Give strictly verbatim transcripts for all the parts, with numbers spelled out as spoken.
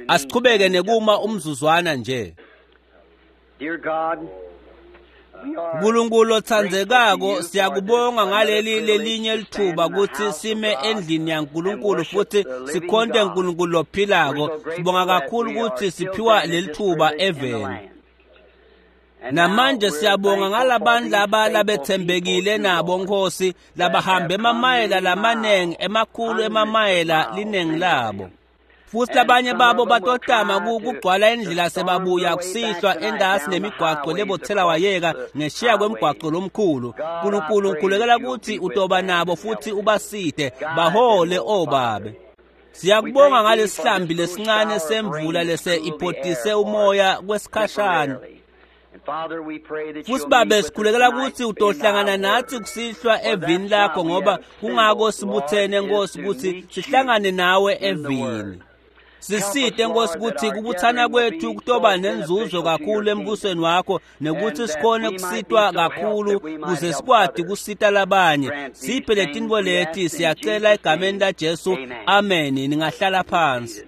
Asichubeke nekuma umzuzwana nje. Dear God, we are Nkulunkulu otsandzekako, siyakubonga ngaleli lelinye lithuba kutsi sime endlini yaNkulunkulu futhi sikhonte Nkulunkulu lophilako. Sibonga kakhulu kutsi siphiwa lelithuba eveni. Namanje siyabonga ngalabantu laba labetsembekile nabo Nkosi, labahambe emamayela lamanengi, emakhulu emamayela linengi labo. Futhi labanye babo batotama kugcwala indlela sebabuya kusihlwa endasi nemigwaqo lebothela wayeka ngeshiya kwemgwaqo lomkhulu. Nkulunkulu ngikhulekela kutsi utoba nabo futhi ubasite, bahole obabe. Siyakubonga ngalesihlambi lesincane semvula lese ipotise umoya kwesikhashana. And Father, we pray that Futhi you'll babe meet with us sikhulekela tonight kutsi in utohlangana thy natsi word. kusihlwa evini lakho, ngoba kungako sibutsene Nkosi kutsi sihlangane nawe evini. Sisite Nkosi kutsi kubutsana kwethu kutoba nenzuzo kakhulu embusweni wakho, nekuthi sikhone kusitwa kakhulu kuze sikwati kusita labanye. Siphe letintfo leti, siyacela egameni laJesu. Amen. Ningahlala phansi.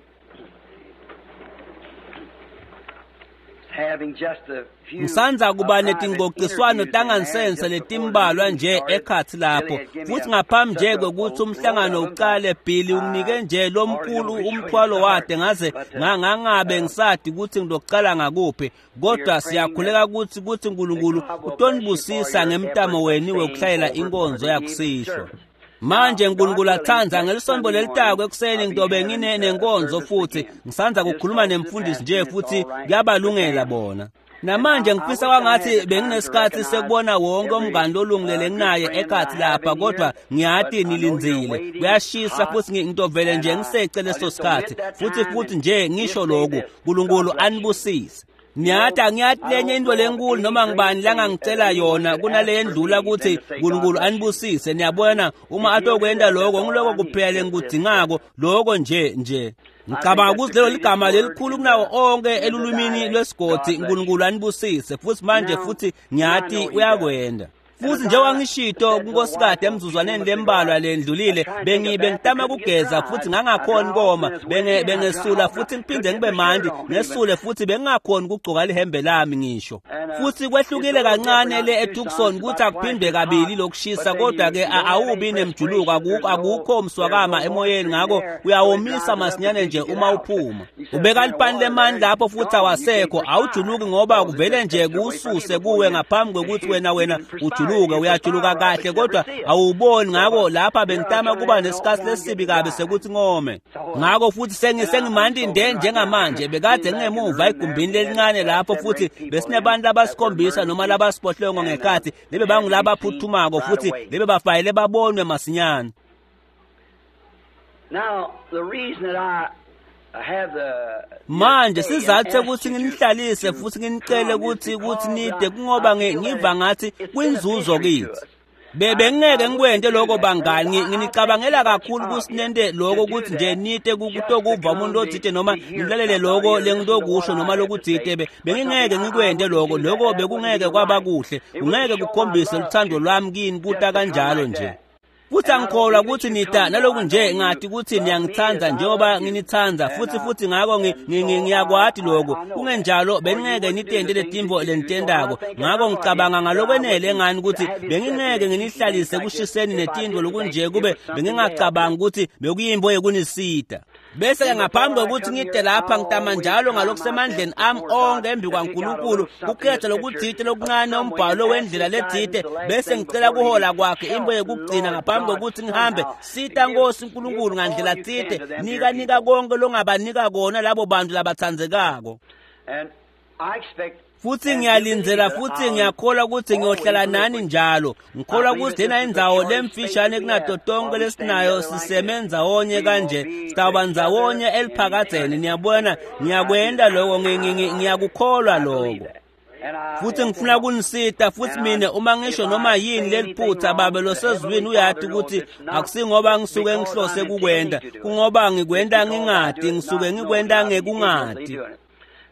Having just a few Ngisanza kuba private netingcociswano interviews in there tangansense just before the letimbalwa meeting nje started. ekhatsi Billy lapho. had given me Futhi a- ngaphambi such nje a- kwekutsi a umhlangano load of them ucale, Billy that unginike I nje hardly know lomkhulu which way to umthwalo start. wade ngaze But, uh, nga- ngangabe uh, ngisati kutsi ngitokucala ngakuphi. Kodwa siyakhuleka kutsi kutsi Nkulunkulu that God will bless you for utonibusisa your ngemtamo efforts of weni staying wekuhlayela over for inkonzo the evening yakusihlwa. service. Manje Now, Nkulunkulu God willing, atsandza next ngelisonto Sunday lelitako morning, ekuseni I'll be ngitobe having ngine uh, nenkonzo service futhi. again. Ngisanza Just kukhuluma talked to the nemfundisi pastor nje and it's futhi all right with kuyabalungela them. bona. And Namanje I, I ngifisa wish I had kwangathi the time to benginesikhathi recognize sekubona wonke every umngani lolungile uh, good lenginaye friend that ekhatsi I have lapha, in kodwa here, ngiyati but I know you're nilindzile. waiting, Kuyashisa hot, futhi ngi- ngitovele and nje I, ngisece I leso just sikhathi. omit that Futhi time futhi and nje ngisho just say lokhu, this. God Nkulunkulu bless you. anibusise. You Ngiyati know, angiyati I lenye don't into know of lenkulu any noma greater ngibani thing that langangicela anyone yona could ask kunale for yendlula me than kutsi to say, God Nkulunkulu bless you. anibusise. Niyabona uma If he'll do atokwenta that, that's lokho all ngiloko I need. kuphela Just, just lengikudzingako lokho nje nje. I think Ngicabanga that's kutsi the lelo greatest ligama word lelikhulu in kunawo the onke in the elulwimini dialect. lwesigodzi, God bless you. Nkulunkulu anibusise. Futhi manje Now, futhi now I ngiyati know he does. uyakwenda. And Futhi as njengoba I ngishito said to the wife kunkosikade a few emzuzwaneni moments ago, lembalwa I, I lendlulile, tried to take a bengi bath, I bengitama couldn't get kugeza dry. futhi I'd, I'd ngangakhoni dry off koma, and it's wet benge again. I'd dry bengesula off and I futhi ngiphinde couldn't get ngibe my shirt mandi, on even. ngesule futhi bengingakhoni ukugcoka lihembe lami ngisho. And uh, Futhi it's a kwehlukile little different kancane out le in Tucson. eTucson It's kuthi about twice akuphindwe as hot, kabili but lokushisa, then kodwa you ke you a- don't have any awubi nemjuluko, perspiration. akukho There's no akukho there's mswakama no emoyeni, moisture in ngakho the air, so it uyawomisa dries it up masinyane and nje you get uma out. uphuma. You set a Ubeka pan of lipani water there, lemani lapho it's futhi gone. You can't awasekho, awujuluki perspire ngoba because it kuvele just nje takes it away from you kuwususe before kuwe you ngaphambi kwekuthi you wena wena even perspire. ujuluke. You Uyajuluka perspire right, kahle but you never kodwa see it. awuboni. So Ngakho uh, lapha here I bengitama trying to kuba have an nesikhathi old time lesibi getting kabi dry. sekuthi ngome. So uh, Ngakho futhi sengi and I, I'm sengimandi sober nde right now. njengamanje, bekade Being back in the ngingemuva room there, egumbini we had lelincane uh, lapho seven or futhi eight people in besinebantu that were abasikhombisa noma emergency labasiphohlongo and uh, ngekhathi lebe had to be seen bangulabaphuthumako right futhi away. lebe bafayele babonwe masinyane. Now, the reason that I have the you to Manje stay and sizathu ask sekuthi you to nginihlalise to futhi nginicele come is ukuthi ukuthi because nide I, kungoba I ngi- feel that ngiva it's ngathi it's kuyinzuzo beneficiary to kithi. us. Be I, bengingeke I ngikwente wouldn't do lokho that, brothers. bangani, I, I think nginicabangela too much kakhulu of you kusinente to lokho do ukuthi nje that nite just to kutokuva come umuntu to, othite noma to hear ngilalele somebody lokho or listen to what lengitokusho I noma have to lokutsite say be or something. bengingeke I, I ngikwente wouldn't lokho do that. lokho That wouldn't bekungeke be kwaba right. kuhle, It wouldn't kungeke show my kukhombise love luthando to you lwami kini just kuta to come kanjalo like nje. that. Futhi And I don't angikholwa believe that ukuthi you nita come though. naloku I nje know you ngati ukuthi love me as niyangithanda I njengoba love you. nginithanda And futhi uh, futhi ngakho ngi- and ngi- ngi- so I ngiyakwati I, lokho I know that. kungenjalo Or you bengingeke wouldn't do nitente the things that letimvo you do. So I lenitentako. think Ngakho enough of you ngicabanga that I ngalokwenele wouldn't ngani ukuthi have you sit bengingeke there and nginihlalise things like this kushiseni if I netintfo didn't think lokunje it kube was something to help you. bengingacabangi ukuthi bekuyimbo yekunisita. Bese ke See, before ngaphambi I kwekuthi come ngide here, I lapha ngitama always njalo try my ngalokusemandleni best ami before God onke embi to pick out a kwaNkulunkulu little something, a kukhetha scripture lokutsite of lokuncane some way umbhalo and ask wendlela His guidance letsite the last bese thing ngicela before kuhola leaving. kwakhe imbo Help, yekugcina Lord ngaphambi God, kwekuthi ngihambe. somehow to Sita give Nkosi give Nkulunkulu all ngandlela you can tsite to them dear nika nika people. konke longabanika kona labo bantu labatsandzekako. And I expect Futhi and do believe ngiyalindzela that futhi I'll ngiyakholwa ukuthi always ngiyohlala live nani with you. njalo. I Ngikholwa believe ukuthi that this lena is the indzawo shortest space lemfishane that we have kunato tonke while we stand lesinayo together like this. siseme ndzawonye We will kanje be sitawuba together ndzawonye in eliphakadzeni. eternity. Niyabona I do ngiyakwenta that. lokho ngi- ngi- ngi- ngiyakukholwa I believe lokho. that. And I Futhi ngifuna kunisita futhi and I mina uma ngisho if I noma say yini anything leliphutha wrong, babe the losezulwini Heavenly uyati Father knows ukuthi it's not akusingoba ngisuke because ngihlose I'm kukwenta intending to do it. kungoba It's ngikwenta because I do ngingati it not ngisuke knowing. ngikwenta I'll be ignorantly ngekungati. doing it.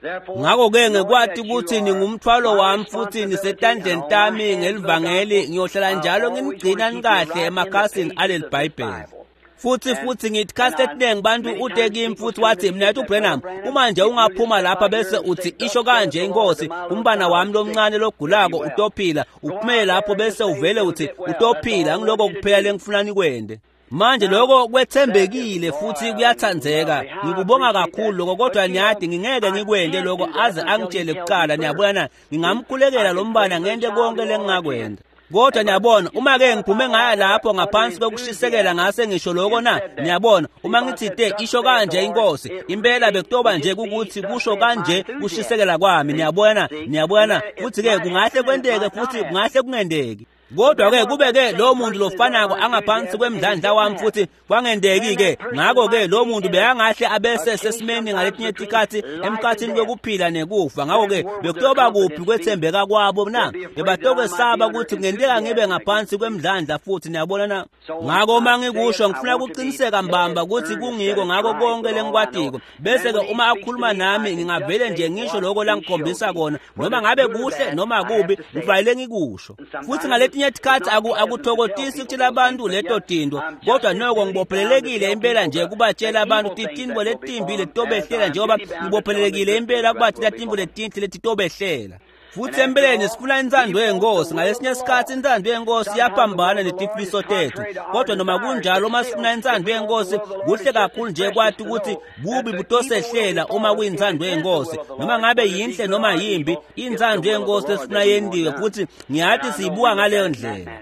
Therefore, Ngakho-ke knowing ngekwati that you ukuthi are ningumthwalo my wami futhi responsibility and nisetandleni on my tami hands the ngelivangeli gospel, ngiyohlala I njalo always want nginigcina to keep you nikahle right in the emakhasini pages aleli of this Bhayibheli. Bible. Futhi futhi ngithi khathi etinengi bantu ute kimi futhi wathi mnethu Branham, uma nje ungaphuma lapha bese uthi isho kanje inkosi, umbana wami lomncane logulako utophila, uphumele lapho bese uvele uthi utophila, ngiloko kuphela lengifuna nikwende. Manje lokho kwethembekile futhi kuyathandzeka, ngikubonga kakhulu lokho, kodwa niyadi ngingeke ngikwende lokho aze angitshele kuqala. Niyabona na? Ngingamkhulekela lo mbana ngente konke lengingakwenda. Kodwa niyabona, uma ke ngiphume ngaya lapho ngaphansi kokushisekela ngase ngisho lokho na, niyabona, uma ngithi te isho kanje inkosi, impela bekutoba nje ukuthi kusho kanje kushisekela kwami. Niyabona, niyabona, futhi ke kungahle kwenteke futhi kungahle kungendeki. Kodwa ke kube ke lo muntu lofanako angaphansi kwemdlandla wami futhi kwangendeki ke, ngakho ke lo muntu bekangahle abese sesimeni ngaletinye tikhathi emkhathini kwekuphila nekufa. Ngakho ke bekutoba kuphi kwethembeka kwabo na? Bebatokwesaba ukuthi kungenteka ngibe ngaphansi kwemdlandla futhi. Niyabona na? Ngakho uma ngikusho ngifuna ukuqiniseka mbamba ukuthi kungiko ngakho konke lengikwatiko, bese ke uma akhuluma nami ngingavele nje ngisho lokho langikhombisa kona, noma ngabe kuhle noma kubi, ngifanele ngikusho. Futhi ngaletinye tikhathi akuthokozisi ukutshela abantu leto tinto, kodwa noko ngibophelelekile impela nje kubatshela abantu tintfo letimbi letitobehlela, njengoba ngibophelelekile impela kubatshela tintfo letinhle letitobehlela. Futhi empeleni sifuna intsando yenkosi. Ngalesinye isikhathi intsando yenkosi iyaphambana netifiso tethu, kodwa noma kunjalo uma sifuna intsando yenkosi kuhle kakhulu nje kwathi ukuthi bubi butosehlela uma kuyintsando yenkosi, noma ngabe yinhle noma yimbi, intsando yenkosi lesifuna yendiwe, futhi ngiyathi siyibuka ngaleyo ndlela.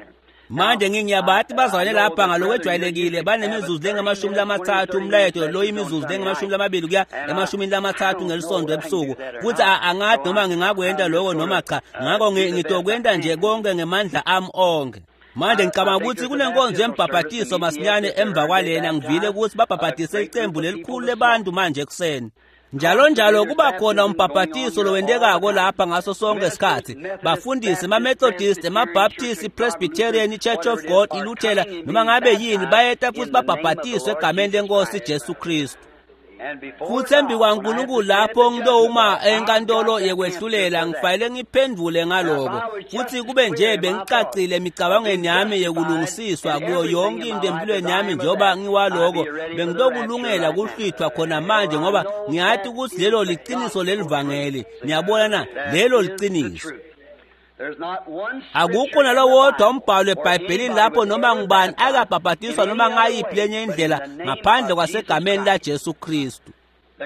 Manje ngingiyabathi bazalwane lapha ngalokwejwayelekile banemizuzu lengamashumi lamathathu umlayeto lo imizuzu lengamashumi lamabili kuya emashumini lamathathu ngelisonto ebusuku, futhi angathi noma ngingakwenta lokho noma cha, ngakho ngitokwenta nje konke ngemandla ami onke. Manje ngicabanga ukuthi kunenkonzo yembhabhatiso masinyane emva kwalena. Ngivile ukuthi babhabhatise icembu lelikhulu lebantu manje ekuseni. Njalo njalo kuba khona umbhabhatiso lowentekako lapha ngaso sonke isikhathi. Bafundisi, ama-Methodist, ama-Baptist, i-Presbyterian, i-Church of God, iLuthela, noma ngabe yini, bayeta futhi babhabhatiswe egameni lenkosi Jesu Kristu. Futhi embi kwaNkulunkulu lapho ngilowuma enkantolo yekwehlulela, ngifanele ngiphendvule ngaloko, futhi kube nje bengicacile emicabangweni yami yekulungisiswa kuyo yonke into empilweni yami njengoba ngiwaloko, bengitokulungela kuhlwithwa khona manje, ngoba ngiyathi ukuthi lelo liqiniso lelivangeli. Niyabona na? Lelo liqiniso. Akukho nalowodwa umbhalo eBhayibhelini lapho noma ngubani akabhabhatiswa noma ngayiphi lenye indlela ngaphandle kwasegameni laJesu Kristu.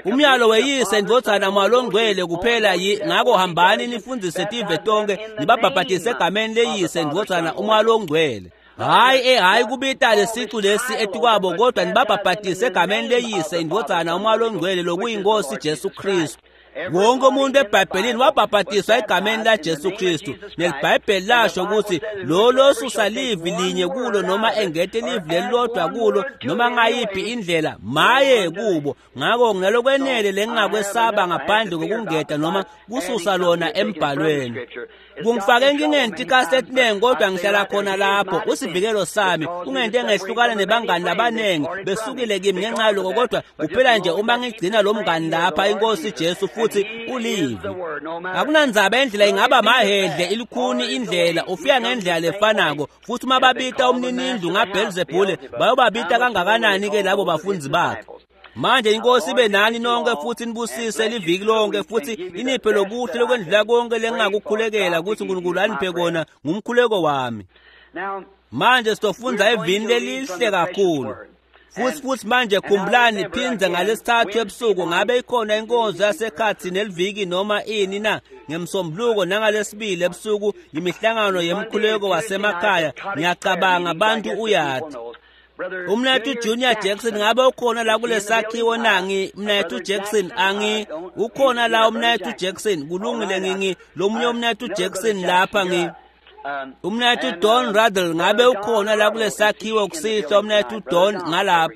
Umyalo weyise ndvodzana malongcwele kuphela yi, ngakho hambani nifundzise tive tonke nibabhabhatise egameni leyise ndvodzana umalongcwele. Hayi eh hayi kubita lesicu lesi etikwabo, kodwa nibabhabhatise egameni leyise indvodzana umalongcwele lokuyinkosi Jesu Kristu. Wonke umuntu eBhayibhelini wabhabhatiswa egameni laJesu Kristu, neliBhayibheli lasho ukuthi lo losusa livi linye kulo noma engete livi lelilodwa kulo noma ngayiphi indlela, maye kubo. Ngakho nginalokwenele lengingakwesaba ngaphandle kokungeta noma kususa lona embhalweni. Kungifake enkingeni tikhathi etinengi, kodwa ngihlala khona lapho. Usivikelo sami kungente ngehlukana nebangani labanengi besukile kimi ngenxa yaloko, kodwa kuphela nje uma ngigcina lo mngani lapha, inkosi Jesu, futhi ulivi. Akunandzaba indlela ingaba mahedle ilikhuni indlela, ufika ngendlela lefanako. Futhi uma babita umninindlu ngaBhelzebhule, bayobabita kangakanani ke labo bafundi bakhe? Manje inkosi ibe nani nonke futhi nibusise liviki lonke, futhi iniphe lokuhle lokwendlula konke lengingakukhulekela ukuthi uNkulunkulu aniphe kona ngumkhuleko wami. Manje sitofundza evini lelihle kakhulu. Futhi futhi manje khumbulani, phindze ngalesithathu ebusuku ngabe ikhona inkonzo yasekhathi neliviki noma ini na, ngemsombuluko nangalesibili ebusuku imihlangano yemkhuleko wasemakhaya. Ngiyacabanga abantu uyathi Umnethu Junior Jackson ngabe ukhona la kulesakhiwo na? Ngi Mnethu Jackson angi ukhona la umnethu Jackson? Kulungile, ngingi lomunye umnethu Jackson lapha ngi Umnethu Don Ruddle ngabe ukhona la kulesakhiwo kusihlwa? Umnethu Don ngalapha.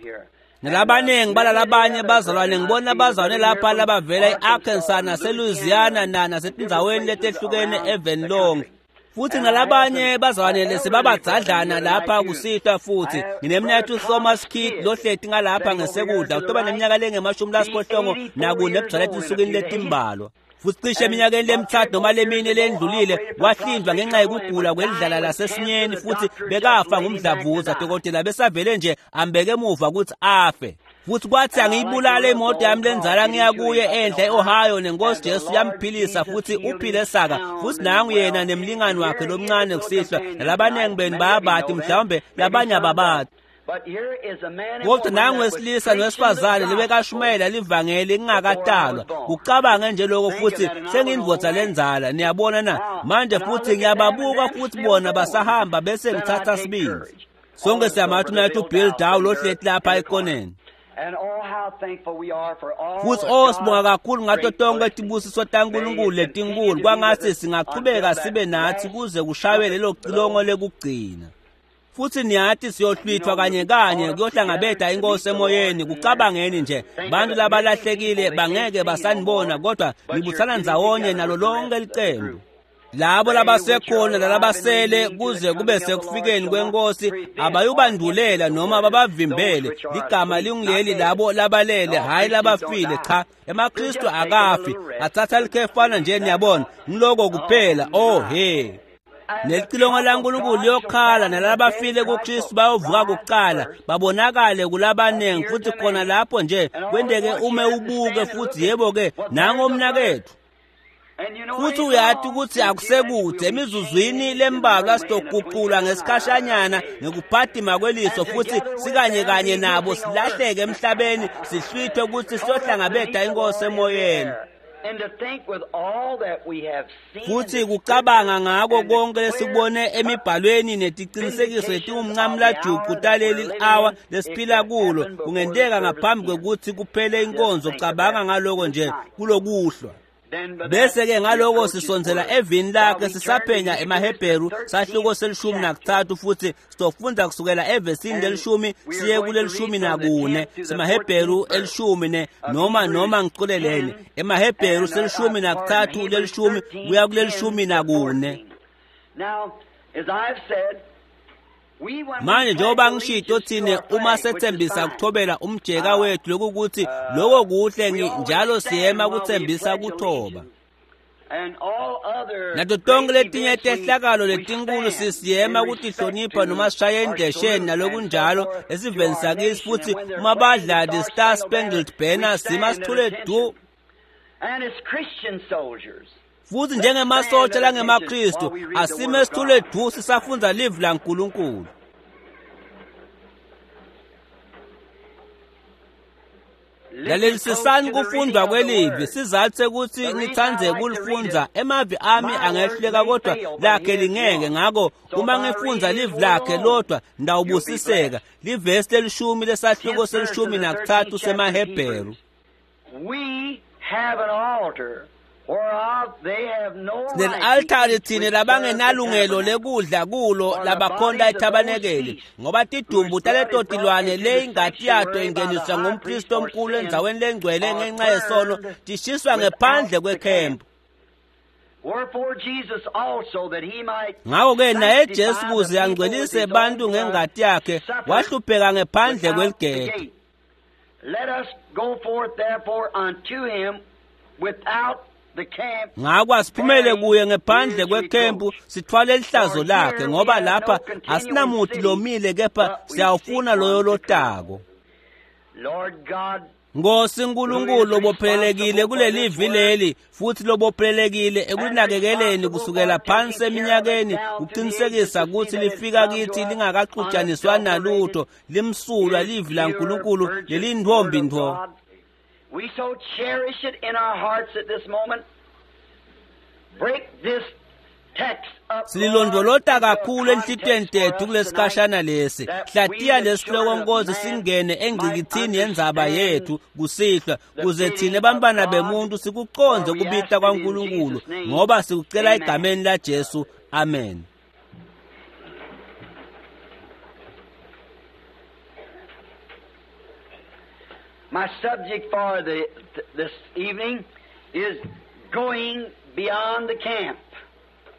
Nalabaningi balalabanye bazalwane, ngibona abazalwane lapha labavela e-Arkansas naseLouisiana na nasetindzaweni letehlukene even lonke. Futhi nalabanye bazalwane sebabadzadlana lapha kusihlwa futhi nginemnyaka uThomas Kidd lohleti ngalapha ngesekudla utoba neminyaka lengemashumi lasiphohlongo nakune ebujala etinsukwini letimbalwa. Futhi cishe eminyakeni lemithathu noma lemine lendlulile wahlindwa ngenxa yokugula kwelidlala lasesinyeni futhi bekafa ngumdlavuza. Dokotela besavele nje ambeke emuva ukuthi afe. Futhi kwathi angiyibulale imoto yami lenzala ngiya kuye enhla e-Ohio nenkosi Jesu yamphilisa futhi uphile saka. Futhi nangu yena nemlingani wakhe lomncane kusihlwa nalabaningi benu bayabati mhlawumbe labanye ababati. Kodwa nangu wesilisa nowesifazane lebekashumayela livangeli ngingakatalwa. Kucabange nje lokho futhi sengiyindvodza lenzala niyabona na manje futhi ngiyababuka futhi bona basahamba bese ngithatha sibindi. Sonke siyamathi umnakethu uBill Dow lohleti lapha ekoneni. Futhi oh sibonga kakhulu ngato tonke tibusiso taNkulunkulu letinkulu kwangathi singachubeka sibe nathi kuze kushaywe lelo cilongo lekugcina. Futhi niyathi siyohlwithwa kanye kanye kuyohlangabeda inkosi emoyeni. Kucabangeni nje bantu labalahlekile bangeke basanibona kodwa nibuthana ndzawonye nalo lonke licembu. Labo labasekhona nalabasele kuze kube sekufikeni kwenkosi abayubandulela noma babavimbele. Ligama linguleli labo labalele hhayi labafile. Cha, emaKristu akafi athatha likhefana nje niyabona ngiloko kuphela. Oh he nelicilongo laNkulunkulu liyokhala nalabafile kuKristu bayovuka kuqala babonakale kulabaningi. Futhi khona lapho nje kwenteke ume ubuke futhi yebo-ke nango mnakethu. Futhi uyathi ukuthi akusekude emizuzwini lembalwa sizoguqulwa ngesikhashanyana ngekuphatima kweliso futhi sikanye kanye nabo silahleke emhlabeni sihlwithwe ukuthi siyohlangabeda inkosi emoyeni. Futhi kucabanga ngako konke lesikubone emibhalweni netiqinisekiso letingumncamlajuqu taleli awa lesiphila kulo kungenteka ngaphambi kwekuthi kuphele inkonzo. Cabanga ngaloko nje kulokuhlwa. Bese-ke ngaloko sisondzela evini lakhe sisaphenya emaHebheru sahluko selishumi nakuthathu futhi sizofunda kusukela evesini lelishumi siye kulelishumi nakune semaHebheru elishumi ne noma noma ngiculelene emaHebheru selishumi nakuthathu lelishumi kuya kulelishumi nakune. Manje njengoba ngishito thine uma sethembisa ukuthobela umjeka wethu lokukuthi lokho kuhle njalo siyema kuthembisa kuthoba. Nato tonke letinye tehlakalo letinkulu sisiyema kutihlonipha noma sishaye endesheni nalokunjalo esiveni sakisi futhi uma badla the Star Spangled Banner sima sithule du. Futhi njengemasotsha langemaKristu asime sithule du sisafundza livi laNkulunkulu. Lalelisisani kufundwa kwelivi sizathu sekuthi ngitsandze kulifundza. Emavi ami angehluleka kodwa lakhe lingeke, ngako uma ngifundza livi lakhe lodwa ndawubusiseka. Livesi lelishumi lesahluko selishumi nakuthathu semaHebheru. We have an altar Sineli-altari thine labangenalungelo lekudla kulo labakhonta ethabanekeli ngoba tidumbu taleto tilwane le ingati yato ingeniswa ngumpristi omkhulu endzaweni lengcwele ngenxa yesono tishiswa ngephandle kwekhempu. Ngakho-ke naye Jesu kuze angcwelise bantu ngengati yakhe wahlupheka ngephandle kweligede. Let us go forth therefore unto him without Ngakho asiphumele kuye ngephandle kwekhempu sithwale lihlazo lakhe ngoba lapha asinamuthi lomile kepha siyawufuna loyo lotako. Nkosi Nkulunkulu lobophelelekile kulelivi leli futhi lobophelelekile ekunakekeleni kusukela phansi eminyakeni kuqinisekisa ukuthi lifika kithi lingakaxutshaniswa nalutho limsulwa livi laNkulunkulu lelintfombi ntfo. We so cherish it in our hearts at this moment. Break this text up. Sililondvolota kakhulu enhlitiyweni tethu kulesikhashana lesi. Hlatiya lesihloko Nkosi singene engcikithini yendzaba yethu kusihlwa kuze thine bantfwana bemuntu sikucondze kubita kwaNkulunkulu ngoba sikucela egameni laJesu. Amen. My subject for the, th- this evening is going beyond the camp.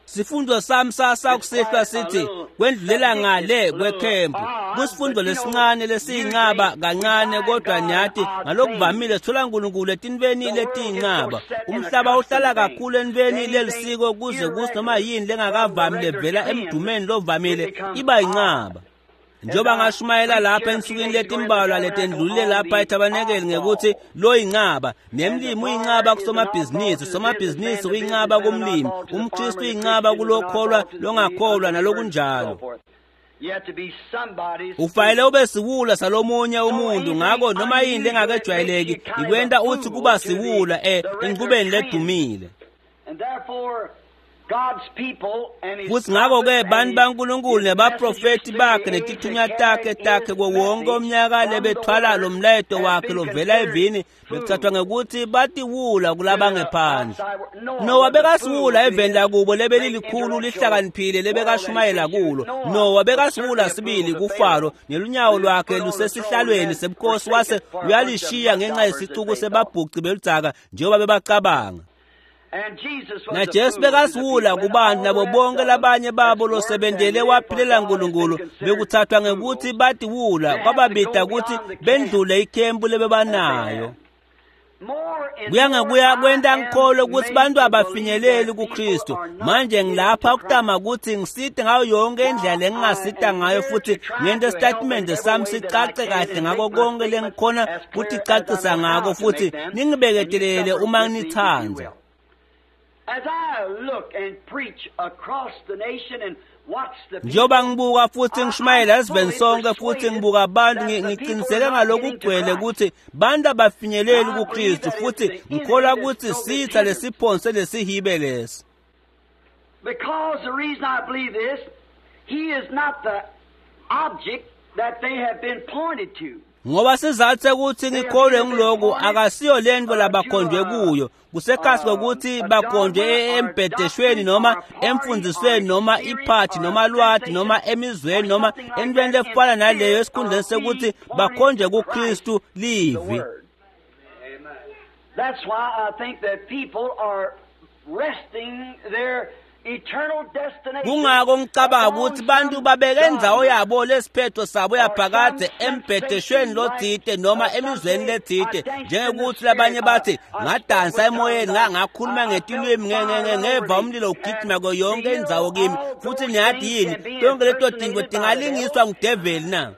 Sifundo sami sakusihlwa sithi kwendlulela ngale kwekhempu. Kusifundo lesincane lesiyincaba kancane, kodwa nyathi ngalokuvamile sithola uNkulunkulu etintweni letiyincaba. Umhlaba uhlala kakhulu entweni lelisiko kuze kuthi noma yini lengakavami levela emdumeni lovamile iba yincaba. Njengoba ngashumayela lapha ensukwini letimbalwa letendlulile lapha ethabanekeli ngekuthi lo yincaba, nemlimi uyincaba kusomabhizinisi, somabhizinisi uyincaba kumlimi, umKristu uyincaba kulokholwa longakholwa nalokunjalo. Ufanele ube siwula salomunye umuntu, ngako noma yini lengakejwayeleki ikwenta uthi kuba siwula eh enqubeni ledumile. Futhi ngakho-ke bantu baNkulunkulu nebaprofethi bakhe netithunywa takhe takhe kuwo wonke umnyaka lebethwala lo mlayeto wakhe lovela evini bekuthathwa ngekuthi batiwula kulabangephandle. Nowa bekasiwula eveni lakubo lebelilikhulu lihlakaniphile lebekashumayela kulo. Nowa bekasiwula sibili kuFaro nelunyawo lwakhe lusesihlalweni sebukhosi wase uyalishiya ngenxa yesicuku sebabhuci beludzaka njengoba bebacabanga. NaJesu bekasiwula kubantu nabo bonke labanye babo losebentele waphilela uNkulunkulu bekuthathwa ngekuthi batiwula kwababida ukuthi bendlule ikhempu lebebanayo. Kuya ngekuya kwenta ngikholwe ukuthi bantu abafinyeleli kuKristu. Manje ngilapha ukutama ukuthi ngisite ngayo yonke indlela engingasita ngayo futhi ngente isitatimende sami sicace kahle ngako konke lengikhona kuticacisa ngako futhi ningibeketelele uma nithanda. Njengoba ngibuka futhi ngishumayela esiveni sonke futhi ngibuka abantu ngiqiniseke ngalokugcwele ukuthi bantu abafinyeleli kuKristu futhi ngikholwa ukuthi sitha lesiphonse lesihibe lesi. Because the reason I believe this, he is not the object that they have been pointed to. Ngoba sizathu ukuthi ngikholwe ngiloku akasiyo lento labakhonjwe kuyo kusekasi kokuthi bakhonjwe embhedeshweni noma emfundisweni noma iphathi noma lwati noma emizweni noma entweni lefana naleyo esikhundleni sekuthi bakhonjwe kuKristu livi. That's why I think that people are resting their Kungako ngicabanga ukuthi bantu babeke indzawo yabo lesiphetho sabo yaphakade embhedeshweni lothite noma emizweni lethite njengekuthi labanye bathi ngadansa emoyeni ngakhuluma ngetilwimi ngeva umlilo ugijima kuyo yonke indzawo kimi futhi niyathi yini tonke leto tinto tingalingiswa ngudeveli na?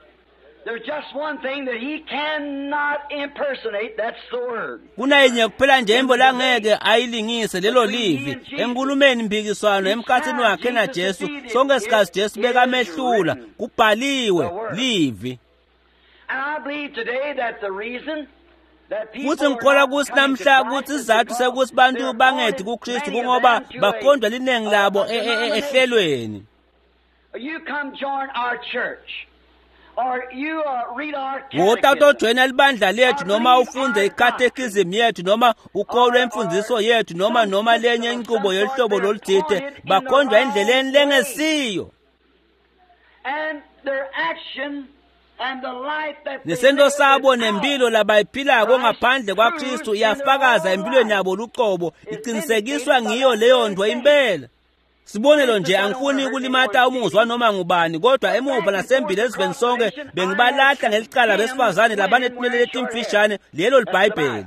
There's just one thing that he cannot impersonate, that's the word. Kunayinye kuphela nje imbo langeke ayilingise lelo livi enkulumeni impikiswano emkhathini wakhe naJesu sonke isikhathi Jesu bekamehlula kubhaliwe livi. And I believe today that the reason Futhi ngikholwa ukuthi namhla ukuthi isizathu sekuthi bantu bangethi kuKristu kungoba bakhonjwa liningi labo ehlelweni. You come join our church. Wota utojoyina libandla lethu noma ufunde ikatekism yethu noma ukholwe imfundiso yethu noma noma lenye inqubo yolihlobo loluthile bakhonjwa endleleni lengesiyo. Nesento sabo nempilo labayiphilako ngaphandle kwaKristu iyafakaza empilweni yabo luqobo iqinisekiswa ngiyo leyo nto impela. Sibonelo nje angifuni ukulimata umuzwa noma ngubani kodwa emuva nasembili esiveni sonke bengibalahla ngelicala besifazane labanetinwele letimfishane lelo liBhayibheli.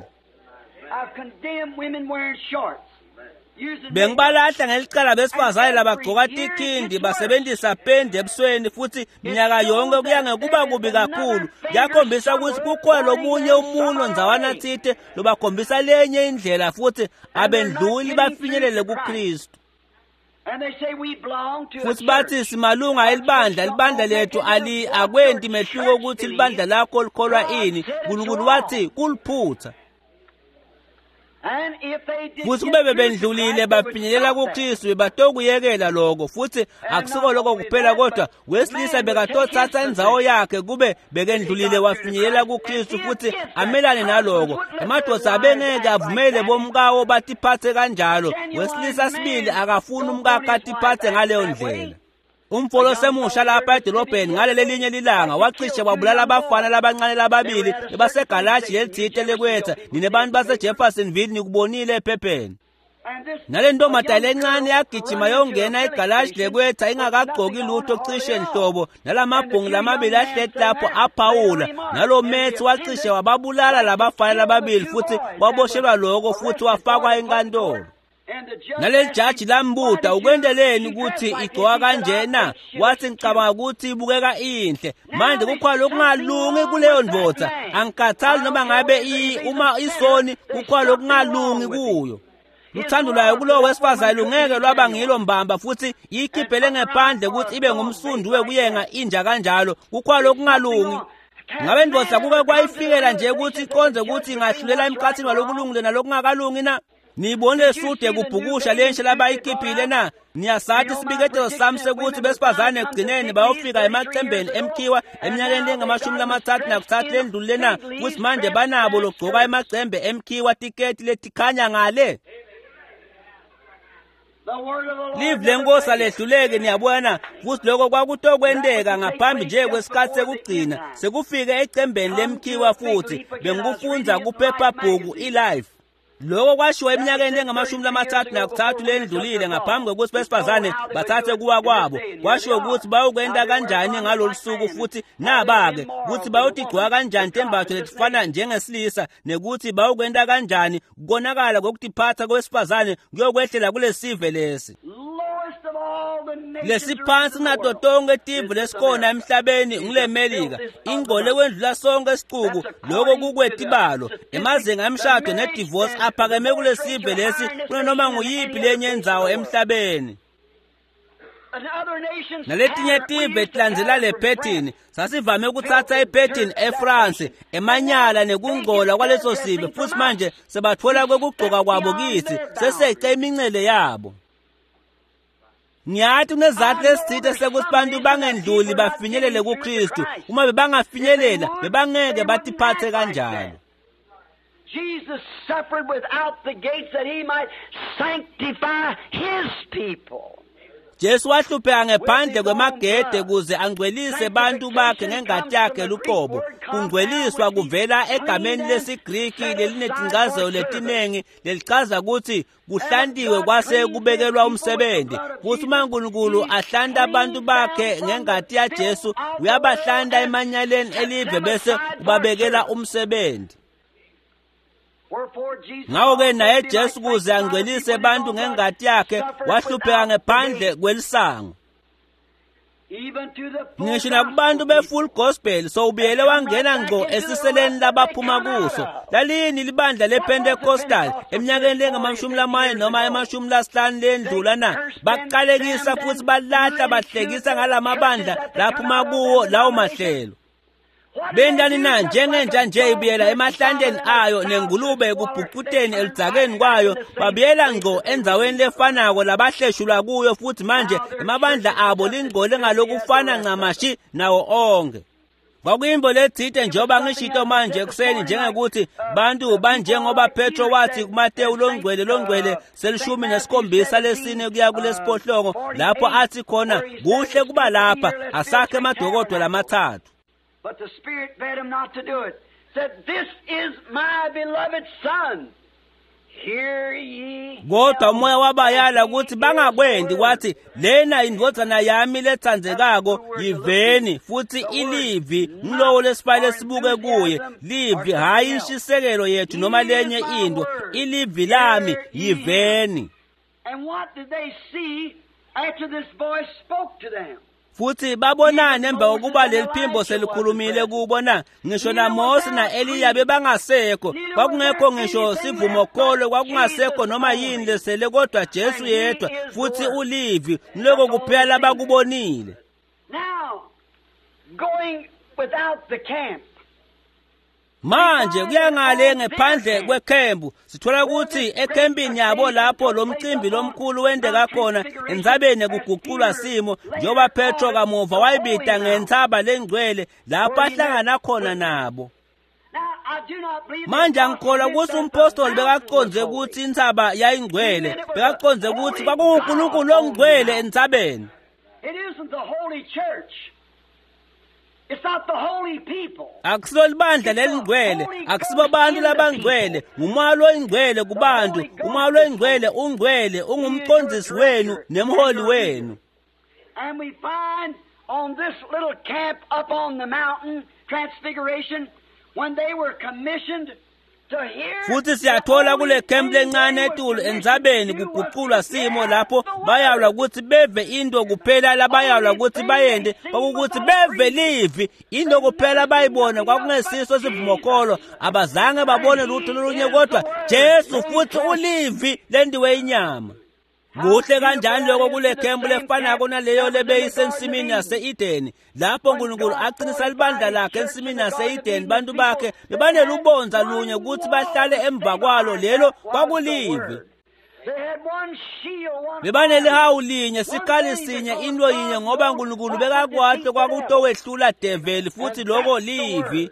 Bengibalahla ngelicala besifazane labagcoka tikhindi basebenzisa pendi ebusweni futhi minyaka yonke kuya ngekuba kubi kakhulu kuyakhombisa ukuthi kukhona lomunye umuntu ndzawana thite lobakhombisa lenye indlela futhi abendluli bafinyelele kuKristu. Futhi bathi simalunga elibandla libandla lethu ali akwenti mehluko ukuthi libandla lakho likholwa ini uNkulunkulu wathi kuliphutha. Futhi kube bebendlulile bafinyelela kuKristu bebatokuyekela lokho futhi akusiko lokho kuphela kodwa wesilisa bekatothatha indzawo yakhe kube bekendlulile wafinyelela kuKristu futhi amelane naloko. Emadoda abengeke avumele bomkawo batiphathe kanjalo. Wesilisa sibili akafuni umkakhe atiphathe ngaleyo ndlela. Umfolo semusha lapha edolobheni ngaleli linye lilanga wacishe wabulala abafana labancane lababili bebasegalaji lelithite lekwetha. Nine bantu baseJeffersonville nikubonile ephepheni. Nale ntombazane lencane yagijima yongena egalaji lekwetha ingakagqoki lutho cishe nhlobo, nalamabhungu lamabili ahleti lapho aphawula, nalo methi wacishe wababulala labafana lababili futhi waboshelwa lokho futhi wafakwa enkantolo. Naleli jaji lambuta, ukwendeleni ukuthi igcoka kanjena? Wathi, ngicabanga ukuthi ibukeka inhle. Manje kukhona lokungalungi kuleyo ndvodza, angikhathali noma ngabe uma isoni, kukhona lokungalungi kuyo. Luthando lwayo kulowo wesifazane lungeke lwaba ngilo mbamba, futhi iyikhiphele ngephandle ukuthi ibe ngumsundu wekuyenga inja kanjalo. Kukhona lokungalungi. Ngabe ndvodza kuke kwayifikela nje ukuthi iqonze ukuthi ingahlulela emkhathini walokulungile nalokungakalungi na? Niyibonile sude kubhukusha lensha labayikhiphile na? Niyasathi isibiketelo sami sekuthi besifazane ekugcineni bayofika emacembeni emkhiwa eminyakeni lengamashumi lamathathu nakuthathu lendlulile na? Futhi manje banabo logcoka emacembe emkhiwa tiketi letikhanya ngale. Live lenkosi alehluleki, niyabona, futhi lokho kwakutokwenteka ngaphambi nje kwesikhathi sekugcina sekufike ecembeni lemkhiwa. Futhi bengikufunza kuphephabhuku iLife. Lokho kwashiwo eminyakeni engamashumi lamathathu nakuthathu lendlulile ngaphambi kokuthi besifazane bathathe kuwa kwabo. Kwashiwo ukuthi bayokwenta kanjani ngalolu suku, futhi naba-ke ukuthi bayotigcwa kanjani tembatho letifana njengesilisa, nekuthi bayokwenta kanjani konakala kokutiphatha kwesifazane kuyokwehlela kulesive lesi lesiphansi kunato tonke tive lesikhona emhlabeni ngule Melika. Ingcole kwendlula sonke isicuku, lokho kukwetibalo emazinga emshado nedivorce aphakeme kulesive lesi kunanoma nguyiphi lenye indzawo emhlabeni. Naletinye tive tilandzela le phethini. Sasivame ukuthatha iphethini eFrance, emanyala nekungcola kwaleso sive, futhi manje sebathola kwekugcoka kwabo kithi sesece imincele yabo. Ngiyathi kunezathu lesithithe sekuthi bantu bangendluli bafinyelele kuKristu. Uma bebangafinyelela bebangeke batiphathe kanjalo. Jesus suffered without the gates that he might sanctify his people. Jesu wahlupheka ngephandle kwemagede kuze angcwelise bantu bakhe ngengati yakhe luqobo. Kungcweliswa kuvela egameni lesiGriki lelinetincazelo letinengi lelichaza ukuthi kuhlantiwe kwase kubekelwa umsebenzi. Futhi uma uNkulunkulu ahlanta abantu bakhe ngengati yaJesu, uyabahlanta emanyaleni elive bese ubabekela umsebenzi. Ngakho-ke naye Jesu kuze angcwelise abantu ngengati yakhe wahlupheka ngephandle kwelisango. Ngisho nakubantu be-full gospel sowubuyele wangena ngqo esiseleni labaphuma kuso. Lalini libandla lePentecostal eminyakeni lengamashumi lamane noma emashumi lasihlanu lendlula na? Baqalekisa futhi balahla bahlekisa ngalamabandla laphuma kuwo lawo mahlelo. Bentani na? Njengenja nje ibuyela emahlanteni ayo nengulube ekubhucuteni eludzakeni kwayo, babuyela ngqo endzaweni lefanako labahleshulwa kuyo, futhi manje emabandla abo lingcole ngalokufana ncamashi nawo onke. Kwakuyimbo lethite njengoba ngishito manje ekuseni, njengekuthi bantu banjengoba Petro wathi kuMateyu longcwele longcwele selishumi nesikhombisa lesine kuya kulesiphohlongo, lapho athi khona kuhle kuba lapha asakhe emadokodo lamathathu. But the Spirit bade him not to do it. Said, "This is my beloved Son. Hear ye." Kodwa umoya wabayala ukuthi bangakwendi, kwathi lena indvodzana yami letsandzekako, yiveni. Futhi ilivi ngilowo lesifayile sibuke kuye, livi hhayi inshisekelo yethu noma lenye into, ilivi lami, yiveni. And what did they see after this voice spoke to them? Futhi babonana emva kokuba leli phimbo selikhulumile kubo na? Ngisho naMose na-Eliya bebangasekho, kwakungekho ngisho sivumokholo, kwakungasekho noma yini lesele kodwa Jesu yedwa, futhi ulivi ngiloko kuphela labakubonile. Now, going without the camp. Manje kuya ngale ngephandle kwekhembu, sithola ukuthi ekhempini yabo lapho lo mcimbi lomkhulu wendeka khona entsabeni kuguqulwa simo, njengoba Petro kamuva wayibita ngentsaba lengcwele lapho ahlangana khona nabo. Now, I do not believe Manje angikholwa ukuthi umpostoli bekaqondze ukuthi intsaba yayingcwele, bekaqondze ukuthi kwakunguNkulunkulu ongcwele entsabeni. It isn't the Holy Church. It's not the holy people. Akusilo libandla lelingcwele, akusibo bantu labangcwele, ngumoya loyingcwele kubantu. Umoya loyingcwele ungcwele, ungumqondisi wenu nemholi wenu. And we find on this little camp up on the mountain, Transfiguration, when they were commissioned to hear Futhi siyathola kule camp lencane etulu entsabeni kuguqulwa simo lapho bayalwa ukuthi beve into kuphela labayalwa ukuthi bayende kwakukuthi beve livi into kuphela bayibona kwakungesiso sivumokholo abazange babone lutho lolunye kodwa Jesu futhi ulivi lendiwe inyama. Kuhle kanjani lokho kule khempu lefanako naleyo lebeyisensimini yase-Edeni lapho uNkulunkulu aqinisa libandla lakhe ensimini yase-Edeni bantu bakhe bebanelubonza lunye ukuthi bahlale emva kwalo lelo kwakulivi. They had one shield, one Bebanelihawu linye sikhali sinye into yinye ngoba uNkulunkulu bekakwati kwakutowehlula develi futhi lokho livi.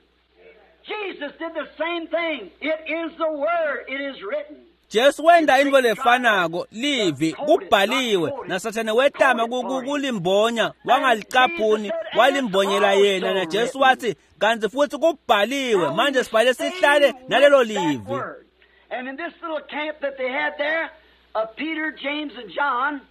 Jesus did the same thing. It is the word, it is written. Jesu wenda into lefanako livi kubhaliwe nasathane wetama kulimbonya wangalicaphuni walimbonyela yena na Jesu wathi kanti futhi kubhaliwe manje sibhale sihlale nalelo livi. And in this little camp that they had there of Peter, James, and John,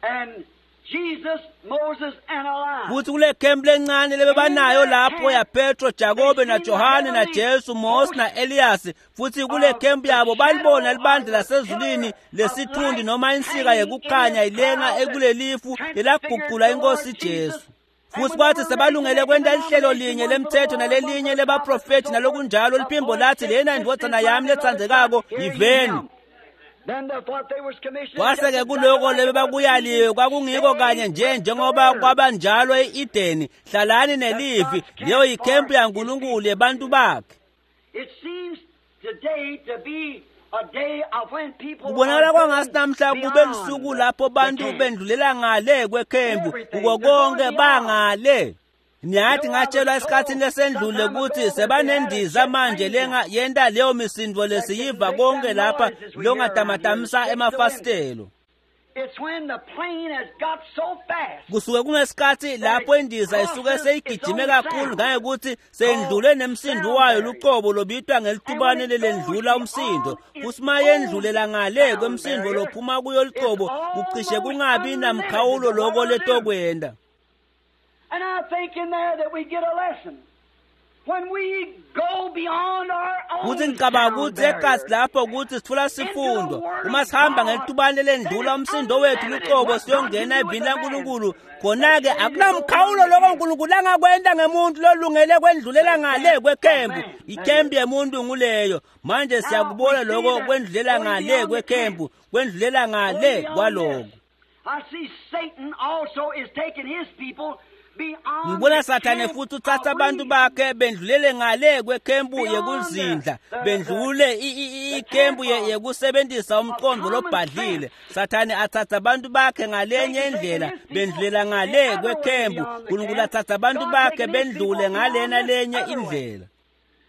and Jesus, Moses, and Elias. Futhi kule camp lencane lebebanayo lapho ya Petro, Jakobe na Johane na Jesu, Mose na Elias futhi kule camp yabo balibona libandla lasezulwini lesithundi noma insika yekukhanya ilenga ekulelifu lelaguqula inkosi Jesu. Futhi kwathi sebalungele kwenta lihlelo linye lemthetho nalelinye lebaprofethi nalokunjalo liphimbo lathi lena indvodzana yami letsandzekako yiveni. Then the, what they was commissioned Kwase-ke kuloko lebebakuyaliwe kwakungiko kanye nje njengoba kwabanjalo e-Edeni hlalani nelivi leyo yikhempu yaNkulunkulu yebantu bakhe. It seems today to be a day of when people Kubonakala are kwangathi going namhla kube beyond lusuku lapho bantu the camp. bendlulela ngale kwekhempu kuko konke bangale. Niyathi ngatshelwa esikhathini lesendlule ukuthi sebanendiza manje lenga yenta leyo misindo lesiyiva konke lapha longatamatamisa emafasitelo. It's when the plane has got so fast Kusuke kungesikhathi lapho indiza isuke seyigijime kakhulu ngangekuthi seyendlule nemsindo wayo luqobo lobitwa ngelitubane lelendlula umsindo futhi uma yendlulela ngale kwemsindo lophuma kuyo luqobo kucishe kungabi namkhawulo loko letokwenda. And I think in there that we get a lesson. When we go beyond our own Kuthi ngicabanga sound ukuthi ekasi barrier, lapho ukuthi sithola sifundo uma sihamba ngelitubane lendlula umsindo wethu luqobo siyongena evini laNkulunkulu khona-ke akunamkhawulo lokho uNkulunkulu angakwenta ngemuntu lolungele kwendlulela ngale kwekhempu ikhempu yemuntu nguleyo manje siyakubona lokho kwendlulela ngale kwekhempu kwendlulela ngale beyond kwaloko. this, I see Satan also is taking his people beyond Ngibona the Sathane camp futhi uthatha of abantu reason. bakhe bendlulele ngale kwekhempu yekuzindla bendlule i- i- i- ikhempu ye- yekusebenzisa umqondo lobhadlile Sathane athatha abantu bakhe ngalenye indlela bendlulela ngale kwekhempu uNkulunkulu athatha abantu bakhe bendlule ngalena lenye indlela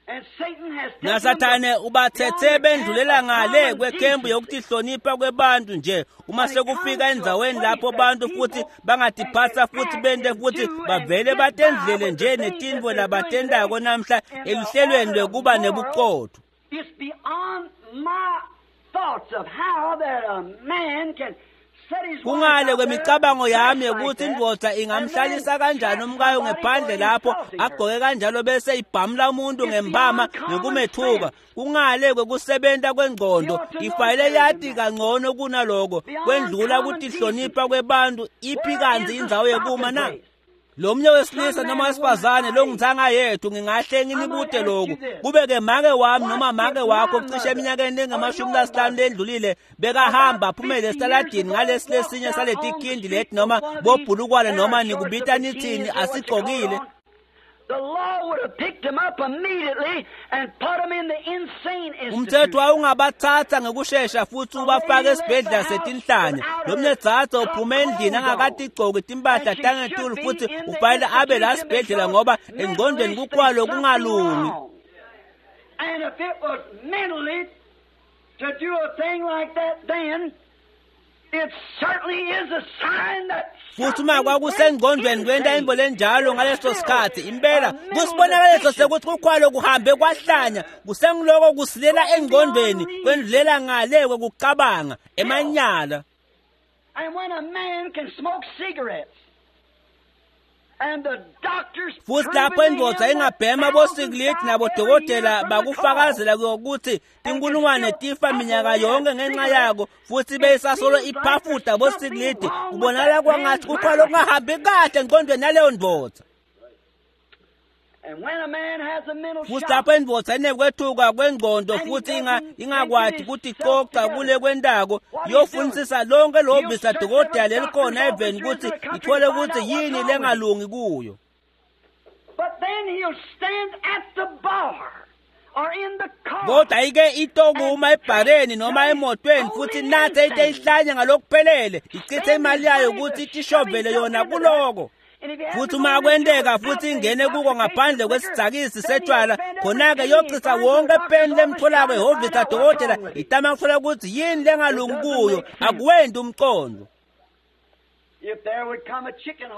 And Satan has taken nasathane them ubathethe beyond the bendlulela camp of ngale common kwekhempu decency. yokutihlonipha kwebantu nje uma sekufika endzaweni lapho bantu futhi bangatiphatsa futhi bente futhi bavele batendlele nje netintfo labatentako namhla eluhlelweni lwekuba nebuqotho. It's beyond my thoughts of how that a man can set his wife Kungale out there kwemicabango yami dressed like ukuthi that, indvodza and ingamhlalisa then kanjani slap umkayo somebody ngephandle for lapho insulting her. agqoke kanjalo bese ibhamula umuntu ngempama ngekumethuka kungale kwekusebenta kwengqondo ifayile yati kangcono kunaloko kwendlula kutihlonipha kwebantu iphi kanzi indzawo yekuma na. Lo mnye wesilisa noma wesifazane longithanga yethu ngingahle nginibute lokhu kube-ke make wami noma make wakho cishe eminyakeni engamashumi lasihlanu lendlulile bekahamba aphumele esitaladini ngalesi lesinye saleti khindi leti noma bobhulukwane noma nikubita nithini asigqokile. The law would have picked him up immediately and put him in the insane Umthetho institution. wawungabathatha ngekushesha futhi ubafake esibhedlela setinhlanya lo mnye dzadze uphume endlini angakatigcoki timpahla tangetulu futhi ufanele abe la sibhedlela ngoba engqondweni kukhwalo kungalungi. And if it was mentally to do a thing like that then, Futhi uma kwakusengqondweni kwenta intfo lenjalo ngaleso sikhathi impela kusibonakaliso sekuthi kukhwalo kuhambe kwahlanya kusengiloko kusilela engqondweni kwendlulela ngale kwekucabanga emanyala. Futhi lapho indvodza ingabhema bosikilidi nabodokotela bakufakazela ukuthi tinkulungwane tifa minyaka yonke ngenxa yako futhi beyisasolo iphafuta bosikilidi kubonakala kwangathi kukhona lokungahambi kahle engqondweni yaleyo ndvodza. Futhi lapho indvodza inekwethuka kwengqondo futhi ingakwati kuticoca kule kwentako iyofunisisa lonke lihhovisi ladokotela lelikhona eveni ukuthi ithole ukuthi yini lengalungi kuyo. Kodwa ike itokuma ebhareni noma emotweni futhi nathe ite ihlanye ngalokuphelele ichithe imali yayo ukuthi itishovele yona kuloko. Futhi uma kwenteka futhi ingene kuko ngaphandle kwesidzakisi setshwala khona-ke yochitha wonke peni lemtholako ehhovisi ladokotela itama kuthola ukuthi yini lengalungi kuyo akuwendi umcondo.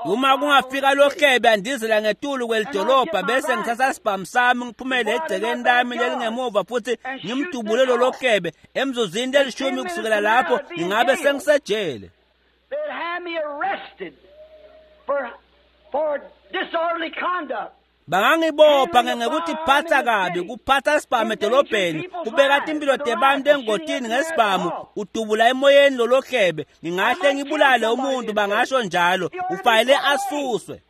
Uma kungafika lohlebe andizela ngetulu kwelidolobha bese ngithatha sibhamu sami ngiphumele egcekeni lami lelingemuva futhi ngimdubule lolo hlebe emzuzwini lelishumi kusukela lapho ngingabe sengisejele. Bangangibopha ngekuthi phatha kabi kuphatha sibhamu edolobheni kubeka timpilo tebantu engotini ngesibhamu udubula emoyeni lolo hlebe ngingahle ngibulale umuntu bangasho njalo ufanele asuswe.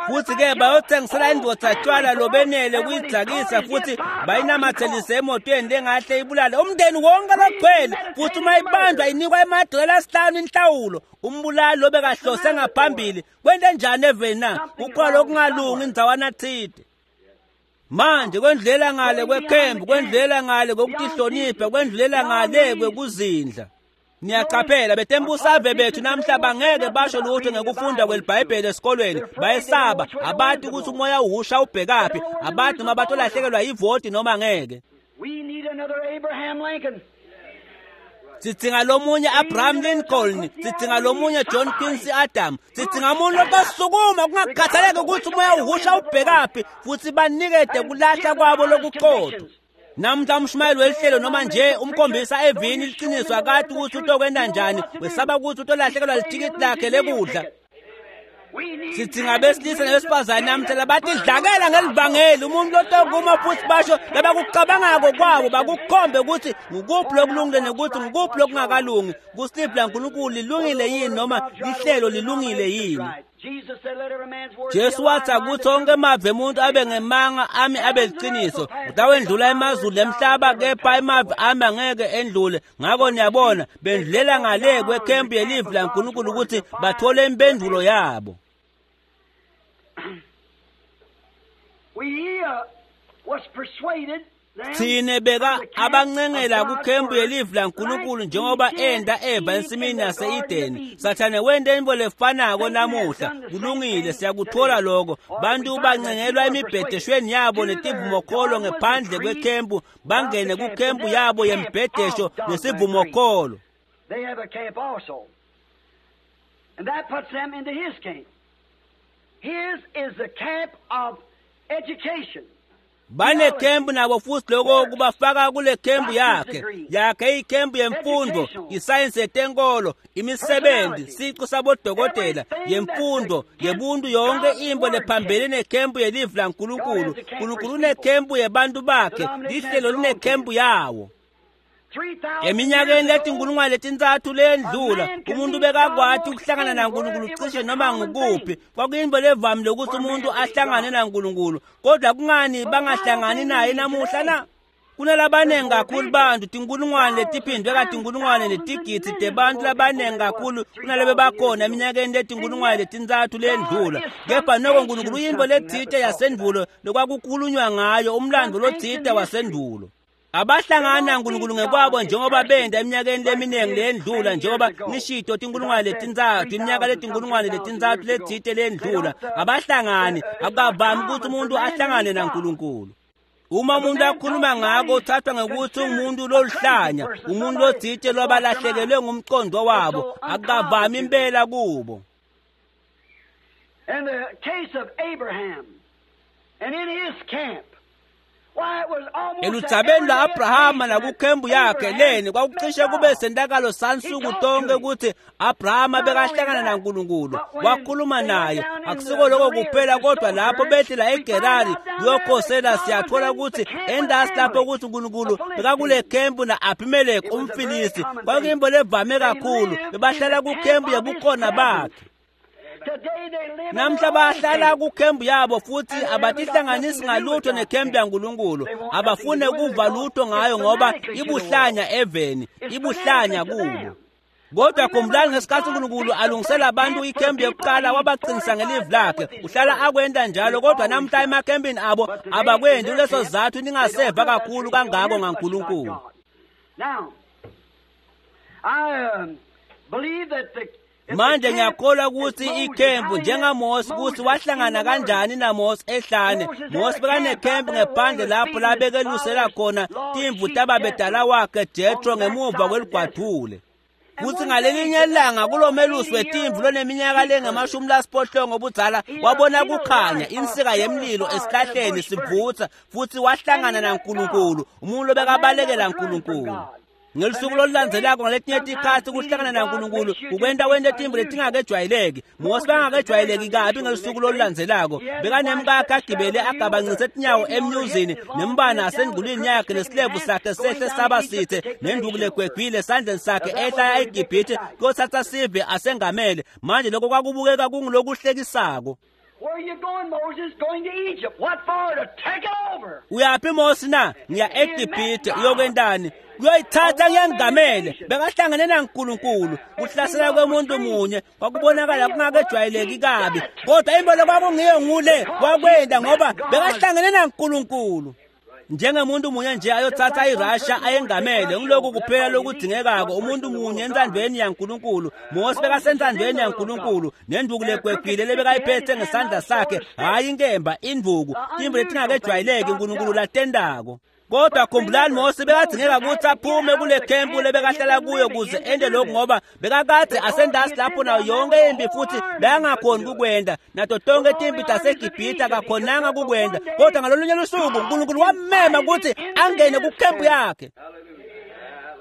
Futhi ke bayothengisela indvodza tshwala lobenele kuyidzakisa futhi bayinamathelise emotweni lengahle ibulale umndeni wonke logcwele futhi uma ibanjwa inikwa emadola asihlanu inhlawulo umbulali lobekahlose ngaphambili kwente njani eveni na kukhona lokungalungi indzawana thide. Manje kwendlela ngale kwekhembu kwendlela ngale kokutihlonipha kwendlela ngale kwekuzindla. Niyaqaphela betembusave bethu namhla bangeke basho lutho ngekufunda kwelibhayibheli esikolweni bayesaba abati ukuthi umoya uhusha ubhekaphi abati noma batolahlekelwa yivoti noma ngeke. Sidzinga lomunye Abraham Lincoln, sidzinga lomunye John Quincy Adams, sidzinga umuntu lobasukuma kungakhathaleki ukuthi umoya uhusha ubhekaphi futhi banikede kulahla kwabo lokuqotho. Namhla umshumayeli welihlelo noma nje umkhombisa evini liqiniso akati ukuthi utokwenta njani wesaba ukuthi utolahlekelwa lithikithi lakhe lekudla. Sidzinga besilisa nabesifazane namhla labatidlakela ngelivangeli umuntu lotokuma futhi basho labakucabangako kwabo bakukhombe ukuthi ngukuphi lokulungile nekuthi ngukuphi lokungakalungi kusiliphi laNkulunkulu lilungile yini noma lihlelo lilungile yini. Jesu wathi akuthi onke emavi emuntu abe ngemanga ami abe liqiniso utawendlula emazulu emhlaba kepha emavi ami angeke endlule. Ngako niyabona bendlulela ngale kwekhempu yelivi laNkulunkulu ukuthi bathole impendulo yabo. Thine beka abancengela kukhempu yelivi laNkulunkulu njengoba enda eva ensimini yase-Edeni. Sathane wente intfo lefanako namuhla. Kulungile siyakuthola lokho. Bantu bancengelwa emibhedeshweni yabo netivumokholo ngephandle kwekhempu bangene kukhempu yabo yembhedesho nesivumokholo. They have a camp also. And that puts them into his camp. His is the camp of education. Banekhempu nabo futhi lokho kubafaka kule khempu yakhe yakhe ikhempu yemfundo isayensi yetenkolo imisebenzi siqu sabodokotela yemfundo yebuntu yonke imbo lephambene nekhempu yelivi laNkulunkulu. Nkulunkulu unekhempu yebantu bakhe lihlelo linekhempu yawo. Eminyakeni letinkulungwane letintsatfu leyendlula umuntu bekakwati ukuhlangana naNkulunkulu cishe noma ngukuphi. Kwakuyinto levamile ukuthi umuntu ahlangane naNkulunkulu kodwa kungani bangahlangani naye namuhla na? Kunalabanengi kakhulu bantu tinkulungwane letiphindwe katinkulungwane netigidzi tebantu labanengi kakhulu kunalebe bakhona eminyakeni letinkulungwane letintsatfu leyendlula. Kepha noko Nkulunkulu uyintfo letsite yasendvulo lokwakukhulunywa ngayo umlandvo lotsite wasendvulo. Abahlangana naNkulunkulu ngekwabo njengoba benda eminyakeni leminingi leyendlula njengoba nishito tinkulungwane letintsatfu iminyaka letinkulungwane letintsatfu letsite leyendlula. Abahlangani akukavami ukuthi umuntu ahlangane naNkulunkulu. Uma umuntu akhuluma ngako uthathwa ngekuthi ungumuntu loluhlanya, umuntu lotsite lwabalahlekelwe ngumqondo wabo, akukavami impela kubo. In the case of Abraham and in his camp, Eludzabeni lwa-Abrahama nakukhembu yakhe leni kwakucishe kube sentakalo sansuku tonke ukuthi Abrahama bekahlangana naNkulunkulu, wakhuluma naye. Akusiko lokho kuphela, kodwa lapho behlela eGerari kuyokhosela, siyathola ukuthi endasi lapho ukuthi uNkulunkulu bekakule khempu na-Abimeleki umFilisti. Kwakuyinto levame kakhulu, bebahlala kukhempu yebukhona bakhe. Namhla bahlala kukhembu yabo futhi abatihlanganisi ngalutho nekhembu yaNkulunkulu. Abafune kuva lutho ngayo ngoba ibuhlanya eveni, ibuhlanya kubo. Kodwa khumbulani ngesikhathi uNkulunkulu alungisela abantu ikhembu yokuqala, wabaqinisa ngelivi lakhe. Uhlala akwenta njalo, kodwa namhla emakhembini abo abakwendi. Kuleso sizathu ningaseva kakhulu kangako ngaNkulunkulu. Now, I um, believe that the Manje ngiyakholwa ukuthi ikhempu njengaMose, ukuthi wahlangana kanjani naMose ehlane. Mose bekanekhempu ngephandle lapho labekelusela khona timvu tababedala wakhe Jethro ngemuva kweligwadule. Futhi ngalelinye ilanga kulo melusi wetimvu loneminyaka lengamashumi lasiphohlongo obudzala wabona kukhanya insika yemlilo esihlahleni sivutha, futhi wahlangana naNkulunkulu, umuntu lobekabalekela uNkulunkulu. Ngelusuku lolulandzelako ngaletinye tikhatsi kuhlangana naNkulunkulu kukwenta wente timvu letingakejwayeleki. Mose bangakejwayeleki kabi ngelusuku lolulandzelako. Bekanemkakhe agibele agabancise tinyawo emnyuzini, nembane asengulwini yakhe, nesilevu sakhe sehle saba sithe, nenduku legwegwile esandleni sakhe, ehla eGibhithe kuyothatha sive asengamele. Manje lokho kwakubukeka kungulokuhlekisako. Where are you going, Moses? Going to Egypt. What for? To take it over. Uyaphi Mose na? Ngiya eGibhithe. Uyokwentani? Kuyoyithatha kuyangamele. Bekahlangene naNkulunkulu. Kuhlasela kwemuntu munye kwakubonakala kungakejwayeleki kabi, kodwa imbolo kwakungiyo ngule wakwenda ngoba bekahlangene naNkulunkulu. Njengemuntu munye nje ayothatha iRussia ayengamele, ngilokhu kuphela lokudingekako, umuntu munye entsandvweni yaNkulunkulu. Mose bekasentandvweni yaNkulunkulu, nenduku legwegwile lebekayiphethe ngesandla sakhe, hhayi inkemba, induku, timvu letingakejwayeleki uNkulunkulu latendako. Kodwa khumbulani, Mose bekadingeka ukuthi aphume kule khempu lebekahlala kuyo kuze ende lokhu, ngoba bekakade asendasi lapho nayo yonke impi futhi bekangakhoni kukwenda. Nato tonke timpi taseGibhithe akakhonanga kukwenda. Kodwa ngalolunye lusuku uNkulunkulu wammema ukuthi angene kukhempu yakhe.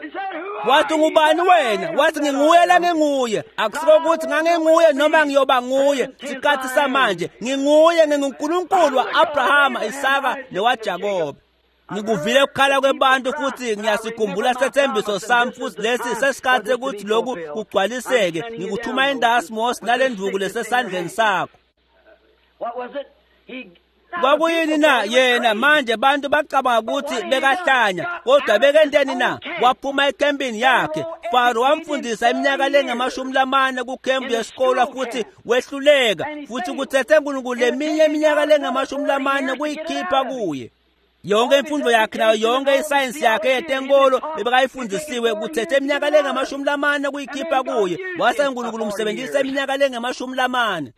He said, Who Wathi are you? ngubani wena? Wathi nginguye la nginguye. Akusiko ukuthi nganginguye noma ngiyoba nguye. Sikhathi samanje nginguye, nginguNkulunkulu wa-Abrahama, Isaka newaJakobe. Ngikuvile ukukhala kwebantu futhi ngiyasikhumbula sethembiso sami, futhi lesi sesikhathi ukuthi lokhu kugcwaliseke. Ngikuthuma endasi Mose nale nduku lesesandleni sakho. What was it? He Kwakuyini na yena? Manje bantu bacabanga ukuthi bekahlanya, kodwa bekenteni na? Waphuma ekhempini yakhe. Faro wamfundisa iminyaka lengamashumi lamane kukhempu yesikolo futhi wehluleka, futhi kuthethe uNkulunkulu leminye iminyaka lengamashumi lamane kuyikhipha kuye. Yonke imfundo yakhe nayo yonke isayensi yakhe yetenkolo bebekayifundisiwe kuthethe iminyaka lengamashumi lamane kuyikhipha kuye. Wase uNkulunkulu umsebenzisa iminyaka lengamashumi lamane.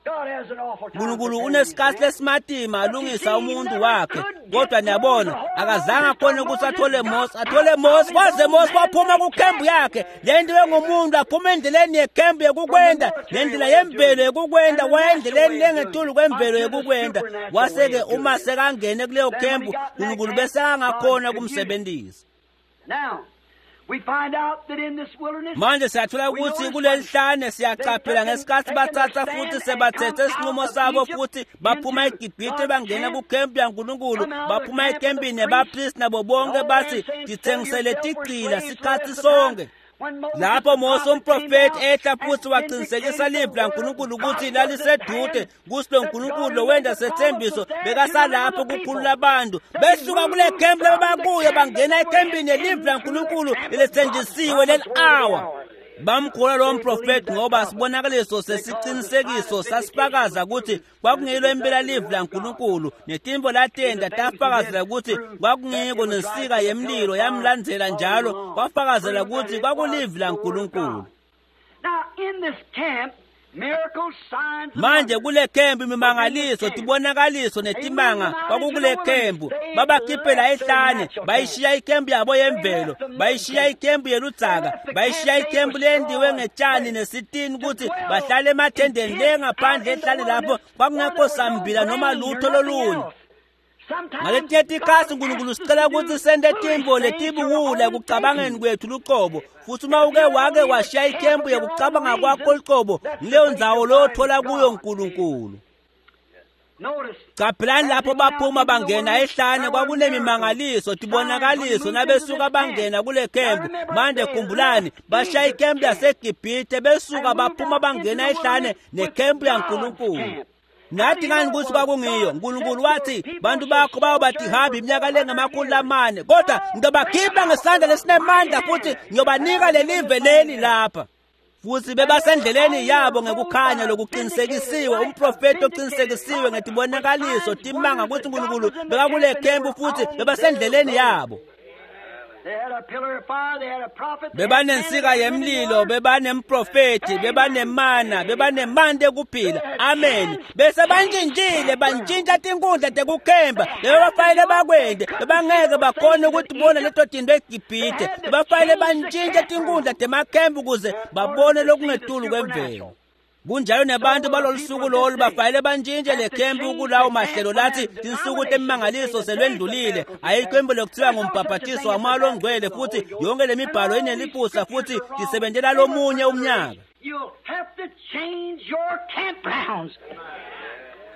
God has an awful time. uNkulunkulu preparing unesikhathi his man. lesimatima alungisa umuntu wakhe, kodwa niyabona akazange akhone ukuthi athole Mose, athole Mose kwaze Mose waphuma kukhempu yakhe. Le nto engumuntu aphuma endleleni yekhempu yekukwenda nendlela yemvelo yekukwenda, waya endleleni lengetulu kwemvelo yekukwenda. Wase-ke uma sekangene kuleyo khempu, uNkulunkulu bese angakhona ukumsebenzisa. Now, we find out that in this wilderness, Manje siyathola ukuthi kuleli hlane siyaqaphela ngesikhathi bathatha futhi sebathethe isinqumo sabo futhi baphuma eGibhithe bangena kukhempu yaNkulunkulu, baphuma ekhempini yabapristi nabo bonke bathi tithengisele tigcila sikhathi sonke. Lapho Mose umprofeti ehla futhi waqinisekisa livi laNkulunkulu ukuthi lalisedude, kuthi lo Nkulunkulu lo wenda sethembiso bekasalapho kukhulula abantu. Besuka kule khempu labakuyo bangena ekhempini yelivi laNkulunkulu lelethenjisiwe leli awa. Bamkholwa lowo mprofeti ngoba sibonakaliso sesiqinisekiso sasifakaza ukuthi kwakungilo impela livi laNkulunkulu, netimvo latenda tafakazela ukuthi kwakungiko, nensika yemlilo yamlandzela njalo kwafakazela ukuthi kwakulivi laNkulunkulu. Now, in this camp, Manje kule khempu imimangaliso, tibonakaliso netimanga kwakukule khempu. Babakhiphela ehlane, bayishiya ikhempu yabo yemvelo, bayishiya ikhempu yeludzaka, bayishiya ikhempu lendiwe ngetshani nesitini ukuthi bahlale emathendeni le ngaphandle ehlane lapho kwakungekho sambila noma lutho lolunye. Ngaletinye tikhatsi uNkulunkulu sicela ukuthi sente tintfo letibuwula ekucabangeni kwethu luqobo, futhi uma uke wake washiya ikhempu yekucabanga kwakho luqobo, ngileyo ndzawo lothola kuyo uNkulunkulu. Caphelani lapho baphuma bangena ehlane kwakunemimangaliso, tibonakaliso nabesuka bangena kule khempu. Manje khumbulani, bashiya ikhempu yaseGibhithe besuka baphuma bangena ehlane nekhempu yaNkulunkulu. Nathi ngani ukuthi kwakungiyo? uNkulunkulu wathi bantu bakho bayobathi iminyaka lengamakhulu lamane, kodwa ngiyobakhipha ngesandla lesinemandla futhi ngiyobanika lelive leli lapha. Futhi bebasendleleni yabo ngekukhanya lokuqinisekisiwe, umprofeti oqinisekisiwe ngetibonakaliso timanga ukuthi uNkulunkulu bekakule khempu futhi bebasendleleni yabo. Bebanensika yemlilo, bebanemprofeti, bebanemana, bebanemandla ekuphila. Amen. Bese bantshintshile, bantshintsha tinkundla tekukhemba. Bebafanele bakwente, bebangeke bakhone ukuthi bona leto tinto eGibhithe. Bebafanele bantshintshe tinkundla temakhempu ukuze babone lokungetulu kwemvelo. Kunjalo nebantu balolu suku lolu bafanele bantshintshe le khempu kulawo mahlelo lathi tinsuku temimangaliso selwendlulile, ayikho imbo lokuthiwa ngumbhabhatiso wamoya longcwele, futhi yonke le mibhalo ineliphutsa futhi tisebentela lomunye umnyaka.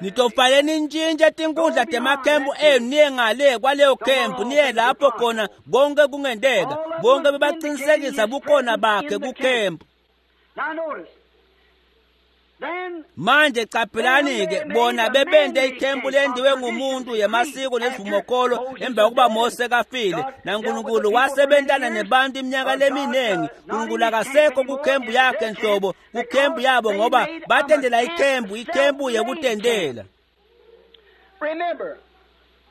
Nitofanele nintshintshe tinkundla temakhempu enu niye ngale kwaleyo khempu, niye lapho khona konke kungenteka. Bonke bebaqinisekisa bukhona bakhe kukhempu. Manje caphelani-ke bona bebente ikhempu lendiwe ngumuntu yemasiko nesivumokolo emva kokuba Mose kafile, naNkulunkulu wasebentana nebantu iminyaka leminingi. uNkulunkulu akasekho kukhempu yakhe nhlobo, kukhempu yabo, ngoba batendela ikhempu, ikhempu yekutendela. Remember,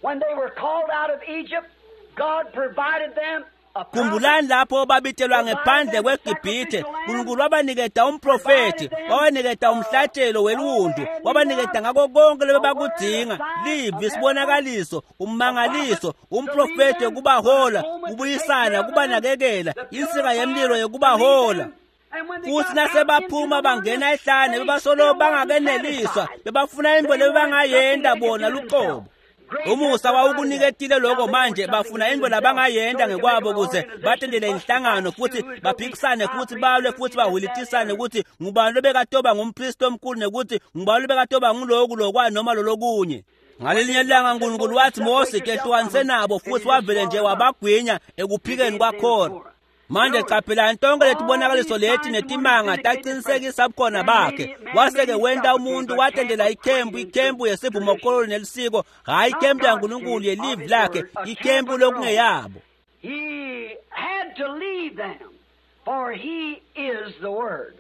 when they were called out of Egypt, God provided them. Khumbulani lapho babitelwa ngephandle kweGibhithe, uNkulunkulu wabaniketa umprofeti, wabaniketa umhlatshelo weliwundlu, wabaniketa ngako konke lebebakudzinga, livi, isibonakaliso, ummangaliso, umprofeti wekubahola, kubuyisana, kubanakekela, insika yemlilo yekubahola. Futhi nasebaphuma bangena ehlane bebasolo bangakeneliswa, bebafuna into lebebangayenta bona luqobo. Umusa wawukuniketile lokho, manje bafuna into labangayenta ngekwabo ukuze batendele inhlangano futhi baphikisane futhi balwe futhi bahwilitisane ukuthi ngubani lobekatoba ngumpristi omkhulu nekuthi ngubani lobekatoba nguloku lokwa noma lolokunye. Ngalelinye ilanga uNkulunkulu wathi Mose kehlukanise nabo, futhi wavele nje wabagwinya ekuphikeni kwakhona. Manje qaphelani tonke letibonakaliso leti netimanga taqinisekisa bukhona bakhe. Waseke wenta umuntu watendela ikhempu, ikhempu yesivumokolo nelisiko, hhayi ikhempu yaNkulunkulu yelivi lakhe, ikhempu lokungeyabo. He had to leave them, for he is the word.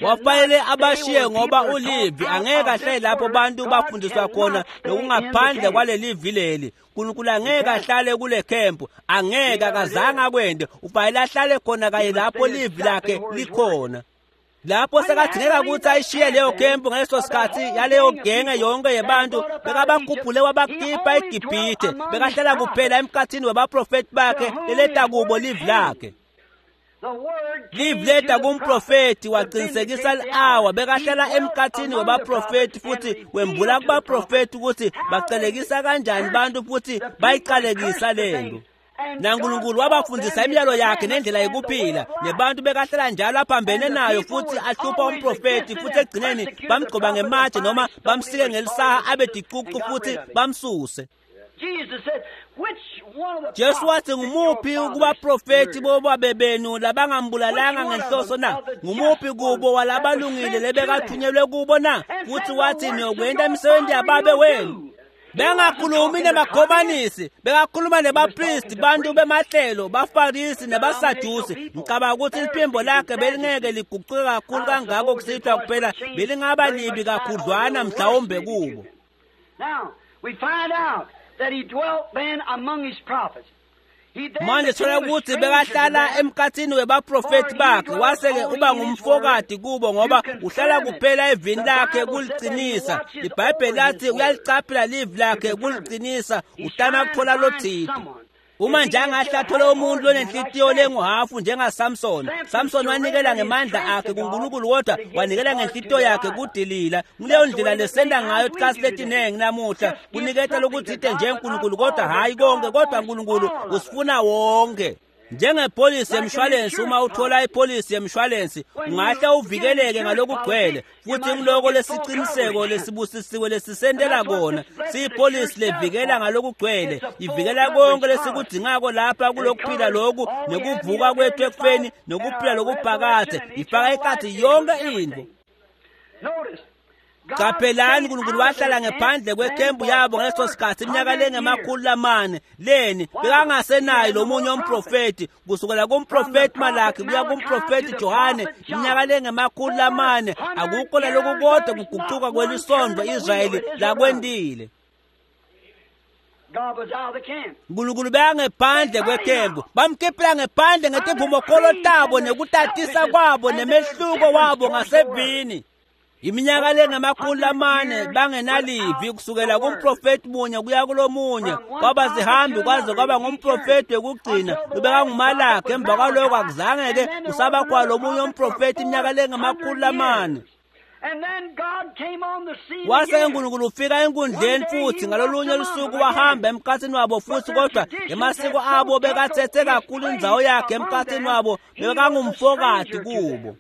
Wafanele abashiye ngoba ulivi, angeke ahlale lapho bantu bafundiswa khona nokungaphandle kwalelivi leli. uNkulunkulu angeke ahlale kule khempu, angeke, akazange akwente. Ufanele ahlale khona kanye lapho livi lakhe likhona. Lapho sekadingeka ukuthi ayishiye leyo khempu ngaleso sikhathi yaleyo genge yonke yebantu, bekabakhuphule wabakhipha eGibhithe, bekahlala kuphela emkhathini wabaprofeti bakhe leleta kubo livi lakhe. Livi leta kumprofeti waqinisekisa li-awa, bekahlala emkhathini wabaprofeti futhi wembula kubaprofeti ukuthi bacalekisa kanjani bantu futhi bayiqalekisa lento. NaNkulunkulu wabafundisa imiyalo yakhe nendlela yokuphila, nebantu bekahlala njalo aphambene nayo futhi ahlupha umprofeti, futhi ekugcineni bamgcoba ngematshe noma bamsike ngelisaha abe dicucu futhi bamsuse. Jesu wathi ngumuphi kubaprofeti bobabe benu labangambulalanga ngenhloso na? Ngumuphi kubo walabalungile lebekathunyelwe kubo na? Futhi wathi niyokwenta imisebenzi yababe wenu. Bengakhulumi nemakhomanisi, bekakhuluma nebapristi, bantu bemahlelo, bafarisi nebasadusi. Ngicabanga ukuthi liphimbo lakhe belingeke liguquke kakhulu kangako kusithwa kuphela, belingaba libi kakhudlwana mhlawumbe kubo. Now, we find out that he dwelt then among his prophets. Manje thola ukuthi bekahlala emkhathini webaprofethi bakhe, wase-ke uba ngumfokati kubo ngoba uhlala kuphela evini lakhe kuliqinisa. IBhayibheli lathi uyalicaphela livi lakhe kuliqinisa, utama kuthola lothito. Uma nje angahle athole umuntu lonenhlitiyo lenguhafu njengaSamson. Samson wanikela ngemandla akhe kuNkulunkulu kodwa wanikela ngenhlitiyo yakhe kuDelila. Nguleyo ndlela lesenda ngayo tikhatsi letinengi namuhla, kuniketa lokutsite nje uNkulunkulu kodwa hhayi konke, kodwa uNkulunkulu usifuna wonke. Njengepholisi yemshwalensi, uma uthola ipholisi yemshwalensi ungahle uvikeleke ngalokugcwele, futhi ngiloko lesiciniseko lesibusisiwe lesisentela kona. Siyipholisi levikela ngalokugcwele, ivikela konke lesikudzingako lapha kulokuphila loku nekuvuka kwethu ekufeni nokuphila lokuphakadze, ifaka ekhatsi yonke intfo. Qaphelani, uNkulunkulu wahlala ngephandle kwekhempu yabo ngaleso sikhathi iminyaka lengemakhulu lamane. Leni bekangasenayo lomunye umprofethi, kusukela kumprofethi Malakhi kuya kumprofethi Johane, iminyaka lengemakhulu lamane, akukho naloku kodwa kuguquka kwelisondvo Israyeli lakwentile. uNkulunkulu bekangephandle kwekhempu, bamkhiphela ngephandle ngetimvumokholo tabo nekutatisa kwabo nemehluko wabo ngasevini. Iminyaka lengamakhulu lamane bangenalivi, kusukela kumprofethi munye kuya kulomunye, kwaba zihambi kwaze kwaba ngumprofethi wekugcina lobekanguMalakhi. Emva kwaloko akuzange-ke kusaba khona lomunye umprofethi iminyaka lengamakhulu lamane. Wase uNkulunkulu ufika enkundleni futhi ngalolunye lusuku wahamba emkhathini wabo futhi, kodwa emasiko abo bekatsetse kakhulu indzawo yakhe emkhathini wabo, bekangumfokati kubo.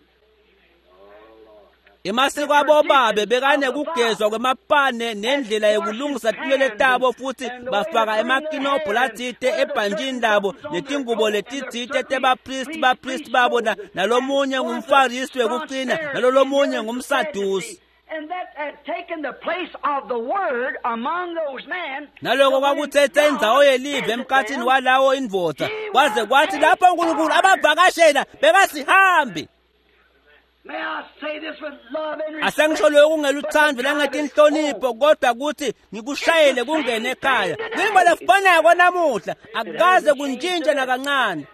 Emasiko abobabe bekanekugezwa kwemapane nendlela yokulungisa tinwele tabo, futhi bafaka emakinobho latsite ebhantshini labo netingubo letitsite tebapristi bapristi babo, nalomunye ngumfarisi wekucina nalolomunye ngumsadusi. Naloko kwakutsetse indzawo yelive emkhathini walawo indvodza, kwaze kwathi lapho uNkulunkulu abavakashela bekasihambi. Asengisho lokhu ngeluthando langetinhlonipho, kodwa kuthi ngikushayele kungene ekhaya. Kuyinto lefanako namuhla, akukaze kuntshintshe nakancane.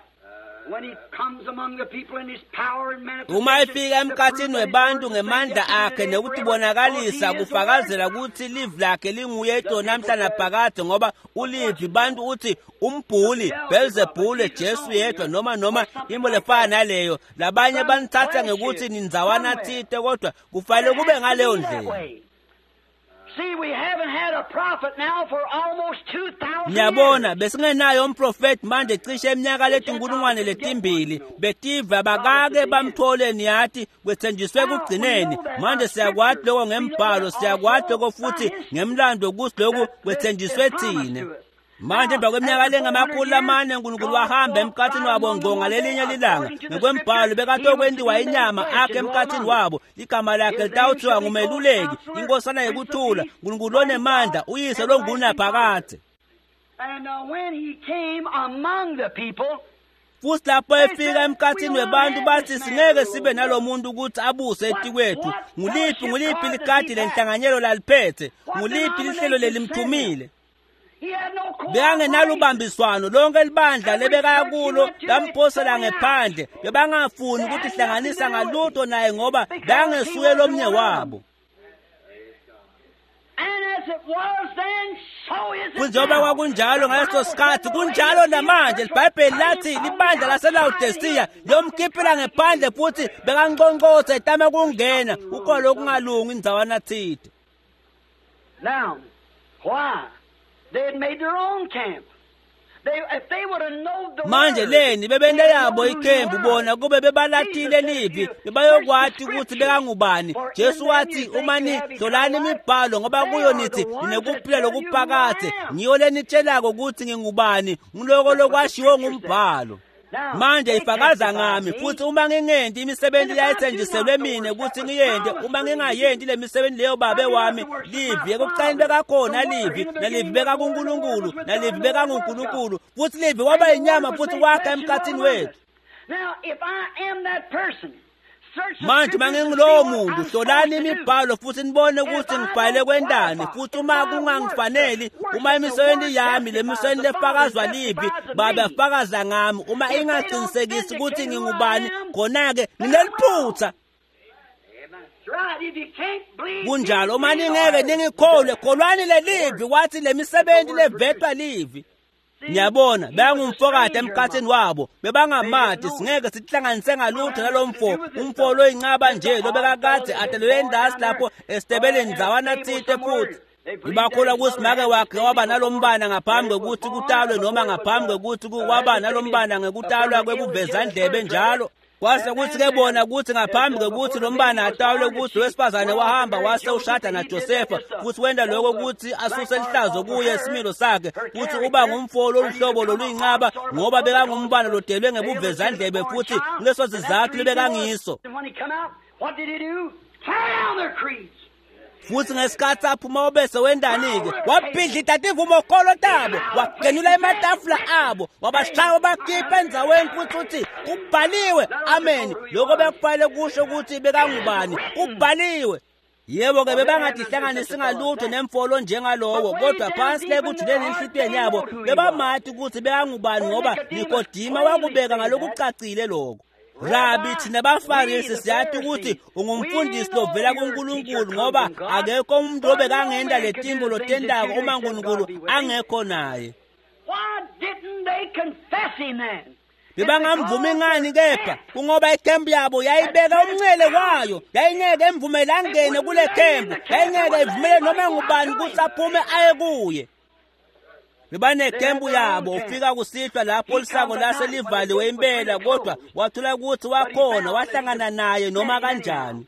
Uma efika emkhathini webantu ngemandla akhe nekutibonakalisa, kufakazela kutsi livi lakhe linguye itolo namhla naphakadze, ngoba ulivi. Bantu uthi umbhuli Belzebule, Jesu yedwa, noma noma into lefana naleyo. Labanye banitsatsa ngekutsi nindzawana tsite, kodwa kufanele kube ngaleyo ndlela. Ngiyabona besingenayo umprofethi manje cishe iminyaka letinkulungwane letimbili, betive abakake bamthole, niyati kwethenjiswe ekugcineni. Manje siyakwati lokho ngembhalo, siyakwati lokho futhi ngemlando ukuthi lokhu kwethenjiswe thina. Manje emva kweminyaka lengamakhulu lamane uNkulunkulu wahamba emkhathini wabo ngqo ngalelinye lilanga. Ngekwembhalo bekatokwentiwa inyama akhe emkhathini wabo. Igama lakhe litawuthiwa ngumeluleki, inkosana yekuthula, uNkulunkulu lonemandla, uyise longunaphakadze. Futhi lapho efika emkhathini webantu bathi singeke sibe nalomuntu ukuthi abuse etikwethu. Nguliphi nguliphi likhadi lenhlanganyelo laliphethe? Nguliphi lihlelo lelimthumile? Bekangenalubambiswano, lonke libandla lebekaya kulo lamphosela ngephandle. Bebangafuni ukutihlanganisa ngalutho naye ngoba bekangesuye lomnye wabo. Kunjengoba kwakunjalo ngaleso sikhathi, kunjalo namanje. IBhayibheli lathi libandla laseLawodisiya liyomkhiphela ngephandle futhi bekanqonqotha etama kungena. Kukhona lokungalungi indzawana tsite. Now, why? They had made their own camp. They, if they would have known the manje leni bebente yabo ikhempu bona kube bebalatile livi bebayokwati ukuthi bekangubani. Jesu wathi uma nihlolani imibhalo ngoba kuyo nithi ninekuphila lokuphakadze, ngiyo lenitshelako ukuthi ngingubani, ngiloko lokwashiwo ngumbhalo. Manje ifakaza ngami, futhi uma ngingenti imisebenzi leyayithenjiselwe mina ukuthi ngiyente, uma ngingayenti le misebenzi leyo babe wami, livi ekuqaleni bekakhona livi, nalivi bekakuNkulunkulu, nalivi bekanguNkulunkulu, futhi livi waba yinyama futhi wakha emkhathini wethu. Now, if I am that person, Manje mangingulowo muntu, hlolani imibhalo futhi nibone ukuthi ngibhale kwendani, futhi uma kungangifaneli, uma imisebenzi yami lemisebenzi lefakazwa livi, Baba fakaza ngami, uma ingaqinisekisi ukuthi ngingubani, khona-ke ngineliphutha. Kunjalo, uma ningeke ningikholwe, kholwani lelivi, wathi lemisebenzi levetwa livi. Ngiyabona bengumfokati emkhathini wabo, bebangamati, singeke sihlanganise ngalutho nalomfo, umfo loyincaba nje lobekakade atelwe endasi lapho esitebeleni ndzawana tsite futhi. Ngibakholwa ukuthi make wakhe waba nalombana ngaphambi kwekuthi kutalwe noma ngaphambi kwekuthi waba nalombana ngekutalwa kwekuvezandlebe njalo. Kwase kuthi ke bona ukuthi ngaphambi kwekuthi lombana atalwe ukuthi wesifazane wahamba wase ushada naJosefa, futhi wenda lokho ukuthi asuse lihlazo kuye isimilo sakhe, futhi uba ngumfo loluhlobo loluyincaba ngoba bekangumbana lodelwe ngebuvezandlebe futhi kuleso sizathu lebekangiso. Futhi ngesikhathi aphuma obese wendani-ke wabhidlita tivumokholo tabo, wagenula ematafula abo, wabashaya bakhipha endzaweni futhi uthi kubhaliwe, amen. Lokho bekufanele kusho ukuthi bekangubani, kubhaliwe. Yebo-ke bebangadihlanganisi ngalutho nemfolo njengalowo, kodwa phansi le kujuleni enhlitiyweni yabo bebamati ukuthi bekangubani ngoba Nikodima wakubeka ngalokucacile lokho. Rabi, thina baFarisi siyathi ukuthi ungumfundisi lovela kuNkulunkulu ngoba akekho umuntu obekangenda letimbo lotendako uma uNkulunkulu angekho naye. Bebangamvumi ngani kepha kungoba ikhempu yabo yayibeka umncele wayo, yayingeke emvumele angene kule khempu, yayingeke ivumele noma ngubani ukuthi aphume aye kuye. Bebanekhempu yabo, ufika kusihlwa lapho lisango laselivaliwe impela, kodwa wathola ukuthi wakhona, wahlangana naye noma kanjani.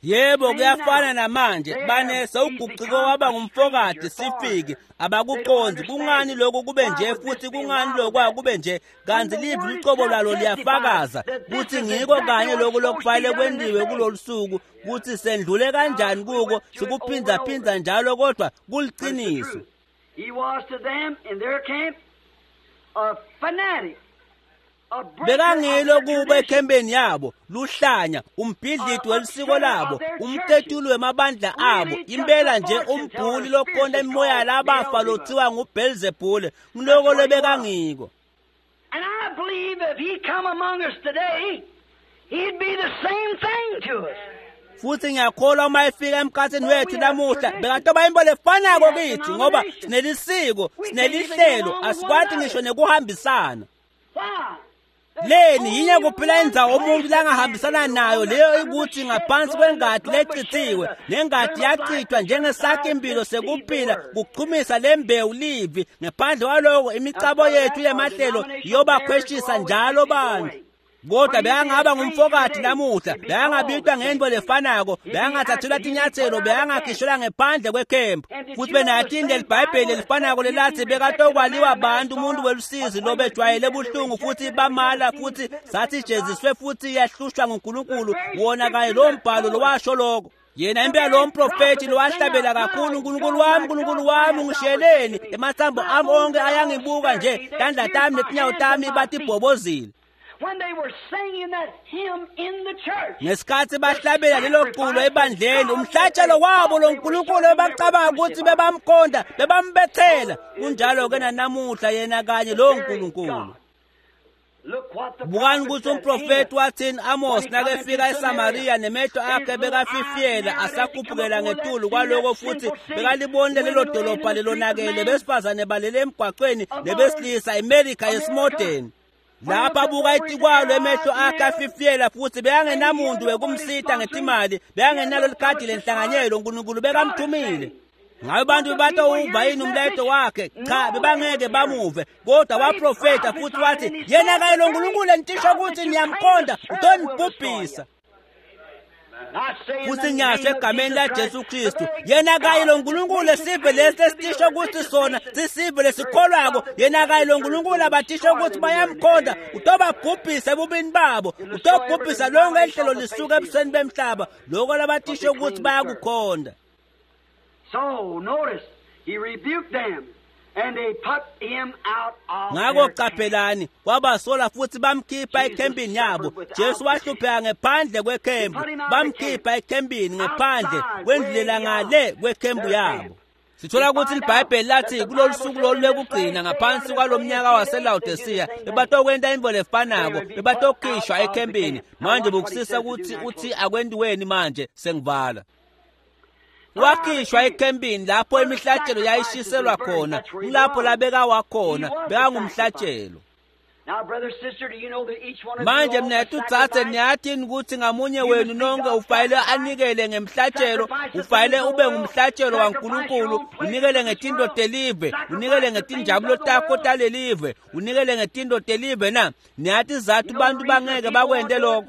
Yebo, kuyafana namanje, banese uguquko waba ngumfokati sifike abakuqondi kungani lokhu kube nje futhi kungani lokhu kube nje, kanti livi lucobo lwalo liyafakaza kuthi ngiko kanye lokhu lokufanele kwendiwe kulolu suku, kuthi sendlule kanjani kuko, sikuphindaphinda njalo kodwa kuliqiniso. He was to them in their camp a fanatic. Bekangilo kuba ekhembeni yabo, luhlanya, umbhidliti welisiko labo, umtetuli wemabandla abo, impela nje umbhuli lokhonta imimoya labafa lothiwa nguBelzebule, ngiloko lebekangiko. And I believe if he come among us today, he'd be the same thing to us. Futhi ngiyakholwa uma efika emkhathini wethu namuhla bekatoba into lefanako kithi ngoba sinelisiko, sinelihlelo, asikwati ngisho nekuhambisana. Leni yinye kuphela indzawo umuntu langahambisana nayo leyo ukuthi ngaphansi kwengadi lechithiwe, nengadi yachithwa njengesakhi impilo sekuphila kuchumisa lembewu livi. Ngaphandle kwaloko imicabo yethu yemahlelo iyobakhweshisa njalo bantu. Kodwa bekangaba ngumfokati namuhla, bekangabitwa ngento lefanako, bekangathathelwa tinyathelo, bekangakhishelwa ngephandle kwekhempu. Futhi benatinde libhayibheli elifanako lelathi bekatokwaliwa bantu umuntu welusizi lobejwayele buhlungu futhi bamala futhi sathi jeziswe futhi yahlushwa nguNkulunkulu, wona kanye lo mbhalo lowasho lokho. Yena impela lo mprofethi lowahlabela kakhulu, uNkulunkulu wami, uNkulunkulu wami, ungishiyeleni, emathambo ami onke ayangibuka nje, tandla tami netinyawo tami batibhobozile. When they were singing that hymn in the church, ngesikhathi bahlabela lelo culo ebandleni, umhlatshelo wabo lo nkulunkulu bebacabanga ukuthi bebamkhonda, bebambethela. Kunjalo ke nanamuhla yena kanye lo nkulunkulu. Bukani ukuthi umprofeti wathini Amos nakefika eSamaria nemehlo akhe bekafifiyela asakhuphukela ngetulu kwaloko futhi bekalibonile lelo dolobha lelonakele, besifazane balele emgwaqweni nebesilisa, iMelika yesimodeni. Lapha abuka itikwalo emehlo akhe afifiyela futhi bekangenamuntu wekumsita ngetimali, bekangenalo likhadi lenhlanganyelo, uNkulunkulu bekamthumile. Ngabe abantu bebatowuva yini umlayeto wakhe? Cha, bebangeke bamuve. Kodwa waprofeta futhi wathi yena kanye lo nkulunkulu entisho ukuthi niyamkhonda utonibhubhisa. Futhi ngiyasho egameni laJesu Kristu, yena kanye lo nkulunkulu esive lesi esitisho ukuthi sona sisive lesikholwako, yena kanye lo nkulunkulu abatisho ukuthi bayamkhonda utobabhubhisa ebubini babo, utobhubhisa lonke ihlelo lisuka ebusweni bemhlaba, lokho labatisho ukuthi bayakukhonda. So notice, he rebuked them Ngako qaphelani, wabasola futhi bamkhipha ekhempini yabo. Jesu wahlupheka ngephandle kwekhempu, bamkhipha ekhempini ngephandle kwendlela ngale kwekhempu yabo. Sithola ukuthi iBhayibheli lathi kulolu suku lolu lokugcina ngaphansi kwalomnyaka waseLaodicea bebatokwenta into lefanako, bebatokhishwa ekhempini. Manje bukusisa ukuthi uthi akwentiweni manje sengivala. Wakhishwa ekhempini lapho imihlatshelo yayishiselwa khona, kulapho labeka wakhona, bekangumhlatshelo. Manje mnethu dzadze, niyathini ukuthi ngamunye wenu nonke ufanele anikele ngemhlatshelo, ufanele ube ngumhlatshelo waNkulunkulu, unikele ngetinto telive, unikele ngetinjabulo takho talelive, unikele ngetinto telive na? Niyathi zathu bantu bangeke bakwente lokho.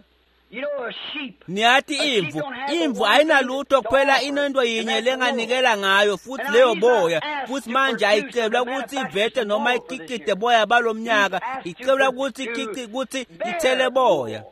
Niyathi imvu, imvu ayinalutho kuphela inento yinye lenganikela ngayo futhi leyo boya, futhi manje ayicelwa ukuthi ivete noma ikikite boya balomnyaka, icelwa ukuthi ikiki ukuthi ithele boya.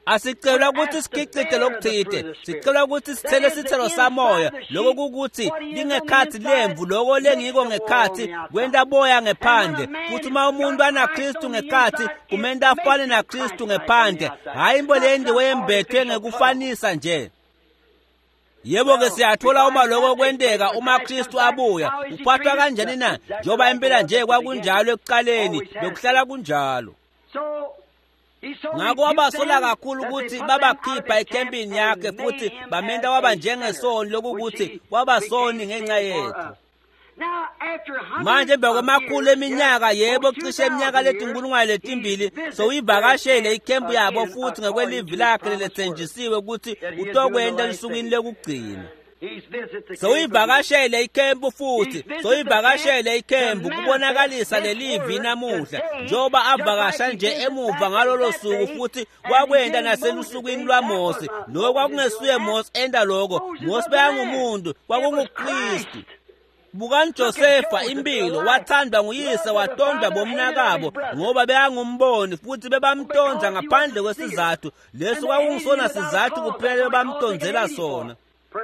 Asicelwa ukuthi sikicite lokuthite, sicelwa ukuthi sithele sithelo samoya. Lokho kukuthi lingekhathi lemvu, lokho lengiko ngekhathi kwenta boya ngephandle. Futhi uma umuntu anaKristu ngekhathi kumenta afane naKristu ngephandle, hhayi into lendiwe yembethwe ngekufanisa nje. Yebo ke siyathola uma lokho kwenteka uma Kristu abuya, uphathwa kanjani na? Njengoba impela nje kwakunjalo ekuqaleni, bekuhlala kunjalo. Ngakho wabasola kakhulu ukuthi babakhipha ekhempini yakhe futhi bamenta waba njengesoni, lokukuthi wabasoni ngenxa yethu. Manje emva kwemakhulu eminyaka, yebo cishe iminyaka letinkulungwane letimbili, sowuyivakashele ikhempu yabo futhi ngekwelivi lakhe lelethenjisiwe ukuthi utokwenta elusukwini lokugcina. Sowuyivakashele ikhempu futhi, sowuyivakashele ikhempu kubonakalisa lelivi namuhla, njengoba avakasha nje emuva ngalolo suku futhi wakwenta naselusukwini lwaMose. Lokho kwakungesuye Mose enta lokho, Mose bekangumuntu, kwakunguKristu. Bukani Josefa impilo, wathandwa nguyise, watondwa bomnakabo ngoba bekangumboni futhi bebamtonza ngaphandle kwesizathu. Leso kwakungisona sizathu kuphela bebamtonzela sona.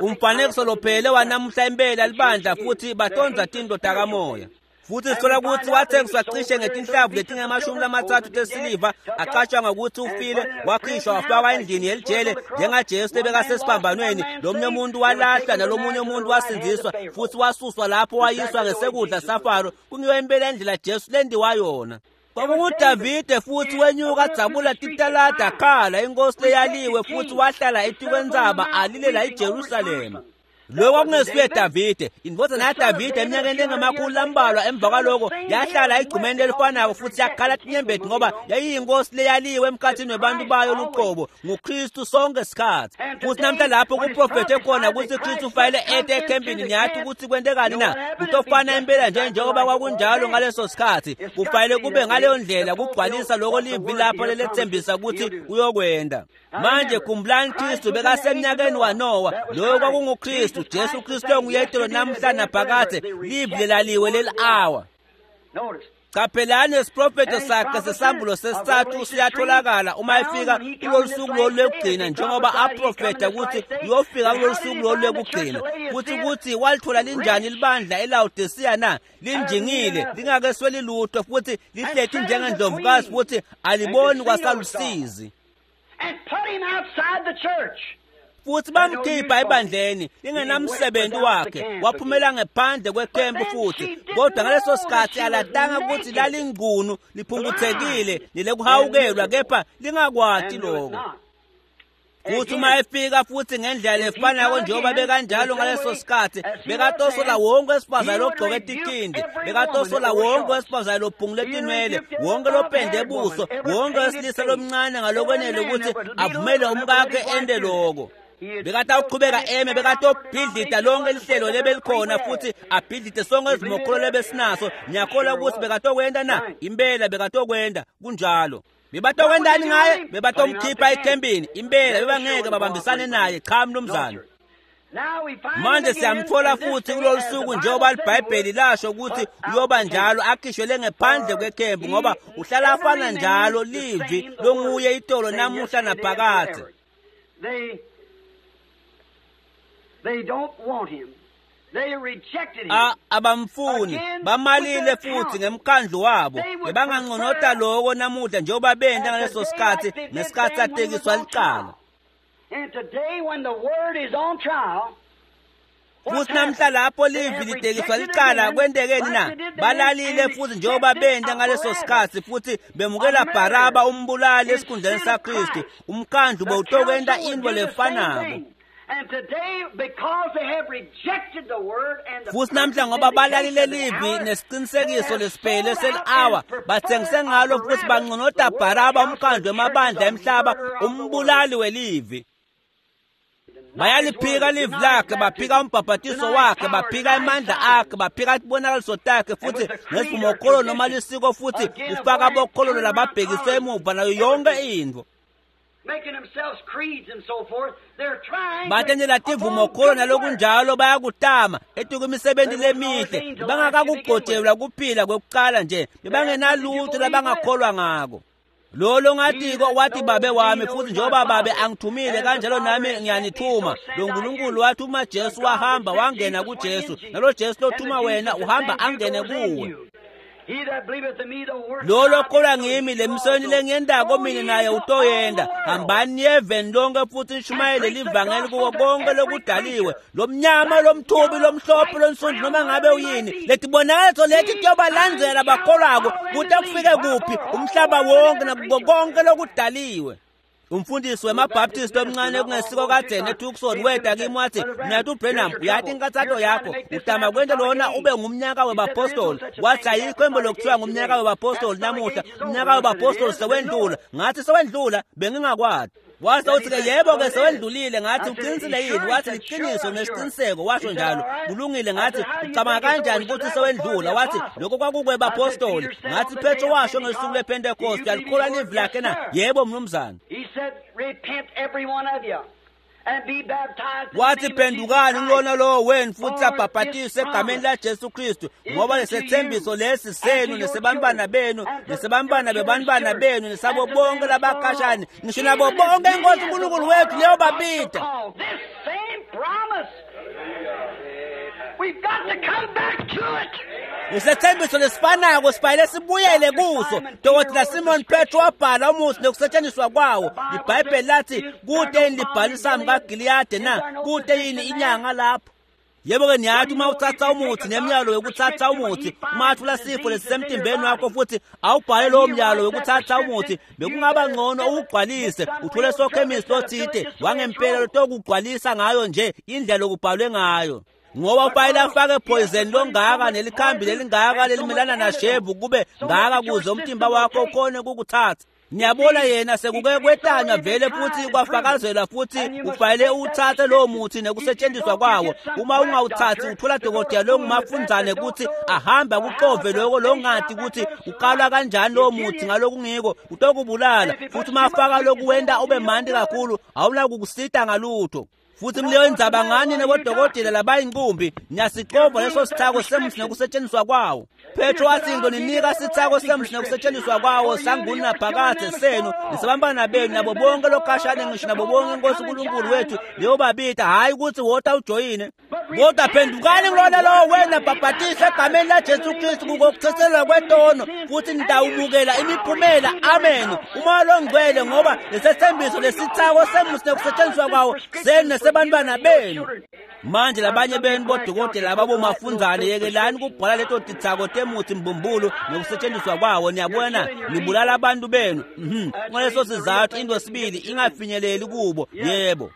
Umfanekiso lophele wanamuhla impela libandla futhi batonza tinto takamoya. Futhi sithola ukuthi wathengiswa cishe ngetinhlavu letingemashumi lamathathu tesiliva, acatshangwa ukuthi ufile, wakhishwa wafakwa endlini yelijele njengaJesu lebekasesiphambanweni. Lomunye umuntu walahlwa nalomunye umuntu wasindziswa futhi wasuswa lapho wayiswa ngesekudla saFaro. Kungiyo impela indlela Jesu lendiwa yona. KwakunguDavide futhi wenyuka adzabula titalada akhala inkosi leyaliwe futhi wahlala etikwentsaba alilela iJerusalema. Lokho kwakungesuye Davide, indvodzana yaDavide eminyakeni engamakhulu lambalwa emva kwaloko yahlala egcumeni lelifanako futhi yakhala tinyembeti ngoba yayiyinkosi leyaliwe emkhathini webantu bayo luqobo nguKristu sonke sikhathi. Futhi namhla lapho kuprofethe khona ukuthi Kristu ufanele ete ekhempini, niyathi ukuthi kwentekani na? Kutofana impela nje njengoba kwakunjalo ngaleso sikhathi, kufanele kube ngaleyo ndlela kugcwalisa lokho livi lapho lelethembisa ukuthi uyokwenda. Manje khumbulani Kristu bekasemnyakeni waNowa, loyo kwakunguKristu, Jesu Kristu onguyetelo namhla naphakade, livi lelaliwe leli-awa. Qaphelani isiprofetho sakhe sesambulo sesithathu siyatholakala uma efika kulolu suku lolu lokugcina, njengoba aprofetha ukuthi uyofika kulolu suku lolu lokugcina. Futhi ukuthi walithola linjani libandla eLaodicea na? Linjingile, lingakesweli lutho futhi lihleti njengendlovukazi futhi aliboni kwasalusizi. And put him outside the church. Futhi bamkhipha ebandleni lingenamsebenzi wakhe, waphumela ngephandle kwekhempu futhi. Kodwa ngaleso sikhathi alatanga ukuthi lalingqunu liphumputhekile nilekuhawukelwa, kepha lingakwati lokho. Futhi uma efika futhi ngendlela lefanako njengoba bekanjalo ngaleso sikhathi, bekatosola wonke wesifazane logqoke tikhindi, bekatosola wonke wesifazane lophungule tinwele, wonke lopende ebuso, wonke wesilisa lomncane ngalokwenele ukuthi avumele umkakhe ente loko. Bekatawuqhubeka eme, bekatobhidlita lonke lihlelo lebelikhona futhi abhidlite sonke izimokholo lebesinaso. Ngiyakholwa ukuthi bekatokwenta na? Impela bekatokwenta kunjalo. Bebatokwentani ngaye? Bebatomkhipha ekhempini. Impela bebangeke babambisane naye. Cha mnumzane. Manje siyamthola futhi kulolu suku njengoba iBhayibheli lasho ukuthi uyoba njalo, akhishwe ngephandle kwekhempu ngoba uhlala afana njalo livi longuye itolo namuhla naphakade. They don't want him. A abamfuni bamalile futhi ngemkhandlu wabo bebanganconota loko namuhla njengoba benta ngaleso sikhathi ngesikhathi atekiswa licala. Futhi namhla lapho livi litekiswa licala kwentekeni na? Balalile futhi njengoba benta ngaleso sikhathi futhi bemukela Baraba umbulali esikhundleni saKristu. Umkhandlu bewutokwenta into lefanako. Futhi namhla ngoba balalile livi nesiqinisekiso lesiphele seli-hour bathengise ngalo futhi banconota Baraba umkhandlu wemabandla emhlaba umbulali welivi. Bayaliphika livi lakhe, baphika umbhabhatiso wakhe, baphika amandla akhe, baphika tibonakaliso takhe futhi nesivumokholo noma lisiko futhi ufaka bokhololo lababhekiswe emuva nayo yonke intfo. Batentela tivumokholo nalokunjalo bayakutama etukwimisebenzi lemihle bangakakugojelwa kuphila kwekuqala nje bebangenalutho labangakholwa ngako. Lo longatiko wathi babe wami futhi njengoba babe angithumile kanjalo nami ngiyanithuma. Lo Nkulunkulu wathuma Jesu wahamba wangena kuJesu nalo Jesu lothuma wena uhamba angene kuwe. Lo lokholwa ngimi lemisebenti lengiyentako mina naye utoyenta. Hambani niyeveni lonke futhi nishumayele livangeli kuko konke lokudaliwe, lomnyama, lomthubi, lomhlophe, lonsundu, noma ngabe uyini. Letibonakaliso leti tiyobalandzela bakholwako kute kufike kuphi umhlaba wonke nakuko konke lokudaliwe. Umfundisi wemabaptist omncane kungesiko kadzeni eTucson weta kimi wathi, "Mnati uBranham, uyathi inkathato yakho utama kwenta lona ube ngumnyaka webapostoli." Wathi ayikho embo lokuthiwa ngumnyaka webapostoli namuhla, umnyaka webapostoli sewendlula. Ngathi sewendlula bengingakwati. Wathi uthi ke yebo ke sewendlulile. Ngathi uqinisile yini? Wathi liqiniso nesiqiniseko, washo njalo. Kulungile. Ngathi ucabanga kanjani ukuthi sewendlula? Wathi lokho kwakukwebapostoli. Ngathi Petro washo ngesuku lePentecost, uyalikholwa livi lakhe na? Yebo mnumzane. Wathi phendukani kulona lowo wenu futhi abhabhatiswe egameni laJesu Kristu, ngoba lesethembiso lesi senu nesebantwana benu nesebantwana bebantwana benu nesabo bonke labakhashane ngisho nabo bonke iNkosi uNkulunkulu wethu leyobabida. Lesethembiso lesifanako sifanele sibuyele kuso. Dokotela Simon Petro wabhala umuthi nokusetshenziswa kwawo. IBhayibheli lathi kute yini libhalisami kaGiliyade na? Kute yini inyanga lapho? Yebo-ke niyathi uma uthatha umuthi nemyalo wekuthatha umuthi, uma atfula sifo lesisemtimbeni wakho futhi awubhale lowo myalo wekuthatha umuthi, bekungaba ngcono uwugcwalise uthole sokhemisi lothite wangempela lotokugcwalisa ngayo nje indlela lokubhalwe ngayo. Ngoba ufanele afake poison longaka nelikhambi lelingaka lelimelana nashevu kube ngaka kuze umtimba wakho ukhone ukukuthatha. Niyabona yena sekuke kwetanywa vele futhi kwafakazelwa futhi ufanele uwuthathe lowo muthi nekusetshenziswa kwawo. Uma ungawuthathi uthola dokotela longumafundzane ukuthi ahambe akuxove loko longati ukuthi ukalwa kanjani lowo muthi ngalokungiko utokubulala. Futhi uma afaka lokuwenta ube mandi kakhulu awunakukusita ngalutho. Futhi mleyo indzaba ngani nebodokotela labayinkumbi niyasixova leso sithako semuthi nekusetshenziswa kwawo. Petro wathi ngizoninika sithako semuthi nekusetshenziswa kwawo sangunaphakade senu nesabantwana benu nabo bonke lokhashane ngisho nabo bonke iNkosi uNkulunkulu wethu leyobabida. Hhayi ukuthi wota ujoyine, kodwa phendukani kulona lowo wena bhabhatiswe egameni laJesu Kristu kukokuthethelelwa kwetono futhi nitawumukela imiphumela. Amen. Umoya longcwele, ngoba lesethembiso lesithako semuthi nekusetshenziswa kwawo senu nesebantwana benu. Manje labanye benu bodokotela ababomafundzane yekelani kubhala leto tithako temuthi mbumbulu nekusetshenziswa kwawo. Niyabona nibulala abantu benu. Mhm. Ngaleso sizathu into sibili ingafinyeleli kubo. Yebo.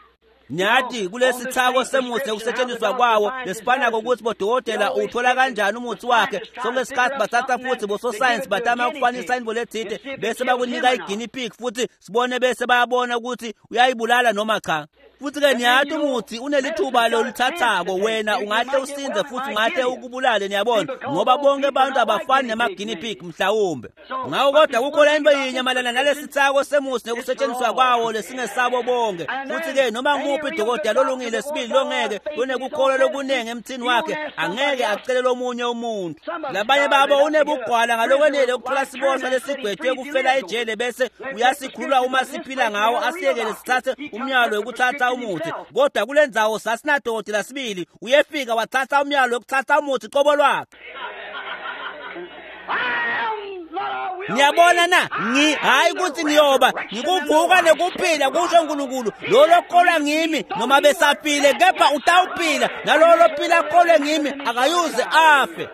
Nyathi kulesithako semuthi nekusetshenziswa kwawo lesifanako ukuthi bodokotela uthola kanjani umuthi wakhe. Sonke isikhathi bathatha futhi bososayensi batama ukufanisa into lethite bese bakunika i-guinea pig futhi sibone bese bayabona ukuthi uyayibulala noma cha. Futhi-ke niyathi umuthi unelithuba loluthathako wena ungahle usinze futhi ungahle ukubulale. Niyabona ngoba bonke abantu abafani nema-guinea pig mhlawumbe. Ngakho kodwa kukhona into yinye mayelana nalesithako semuthi nekusetshenziswa kwawo lesingesabo bonke. Futhi-ke noma nguphi dokotela olungile sibili longeke lonekukholwa lokuningi emthini wakhe angeke acele lomunye umuntu. Labanye babo unebugwala ngalokwenele ukuthola siboshwa lesigwetshwe kufela ejele bese uyasikhulula uma siphila ngawo asiyekele sithathe umyalo wekuthatha wekutsatsa umuthi kodwa kule ndzawo sasinadokotela sibili uyefika watsatsa umyalo wekutsatsa umuthi qobo lwakhe. Ngiyabona na ngi hayi ukuthi ngiyoba ngikuvuka nekuphila kusho uNkulunkulu lo lokholwa ngimi noma besafile kepha utawuphila nalo lophila akholwe ngimi akayuze afe.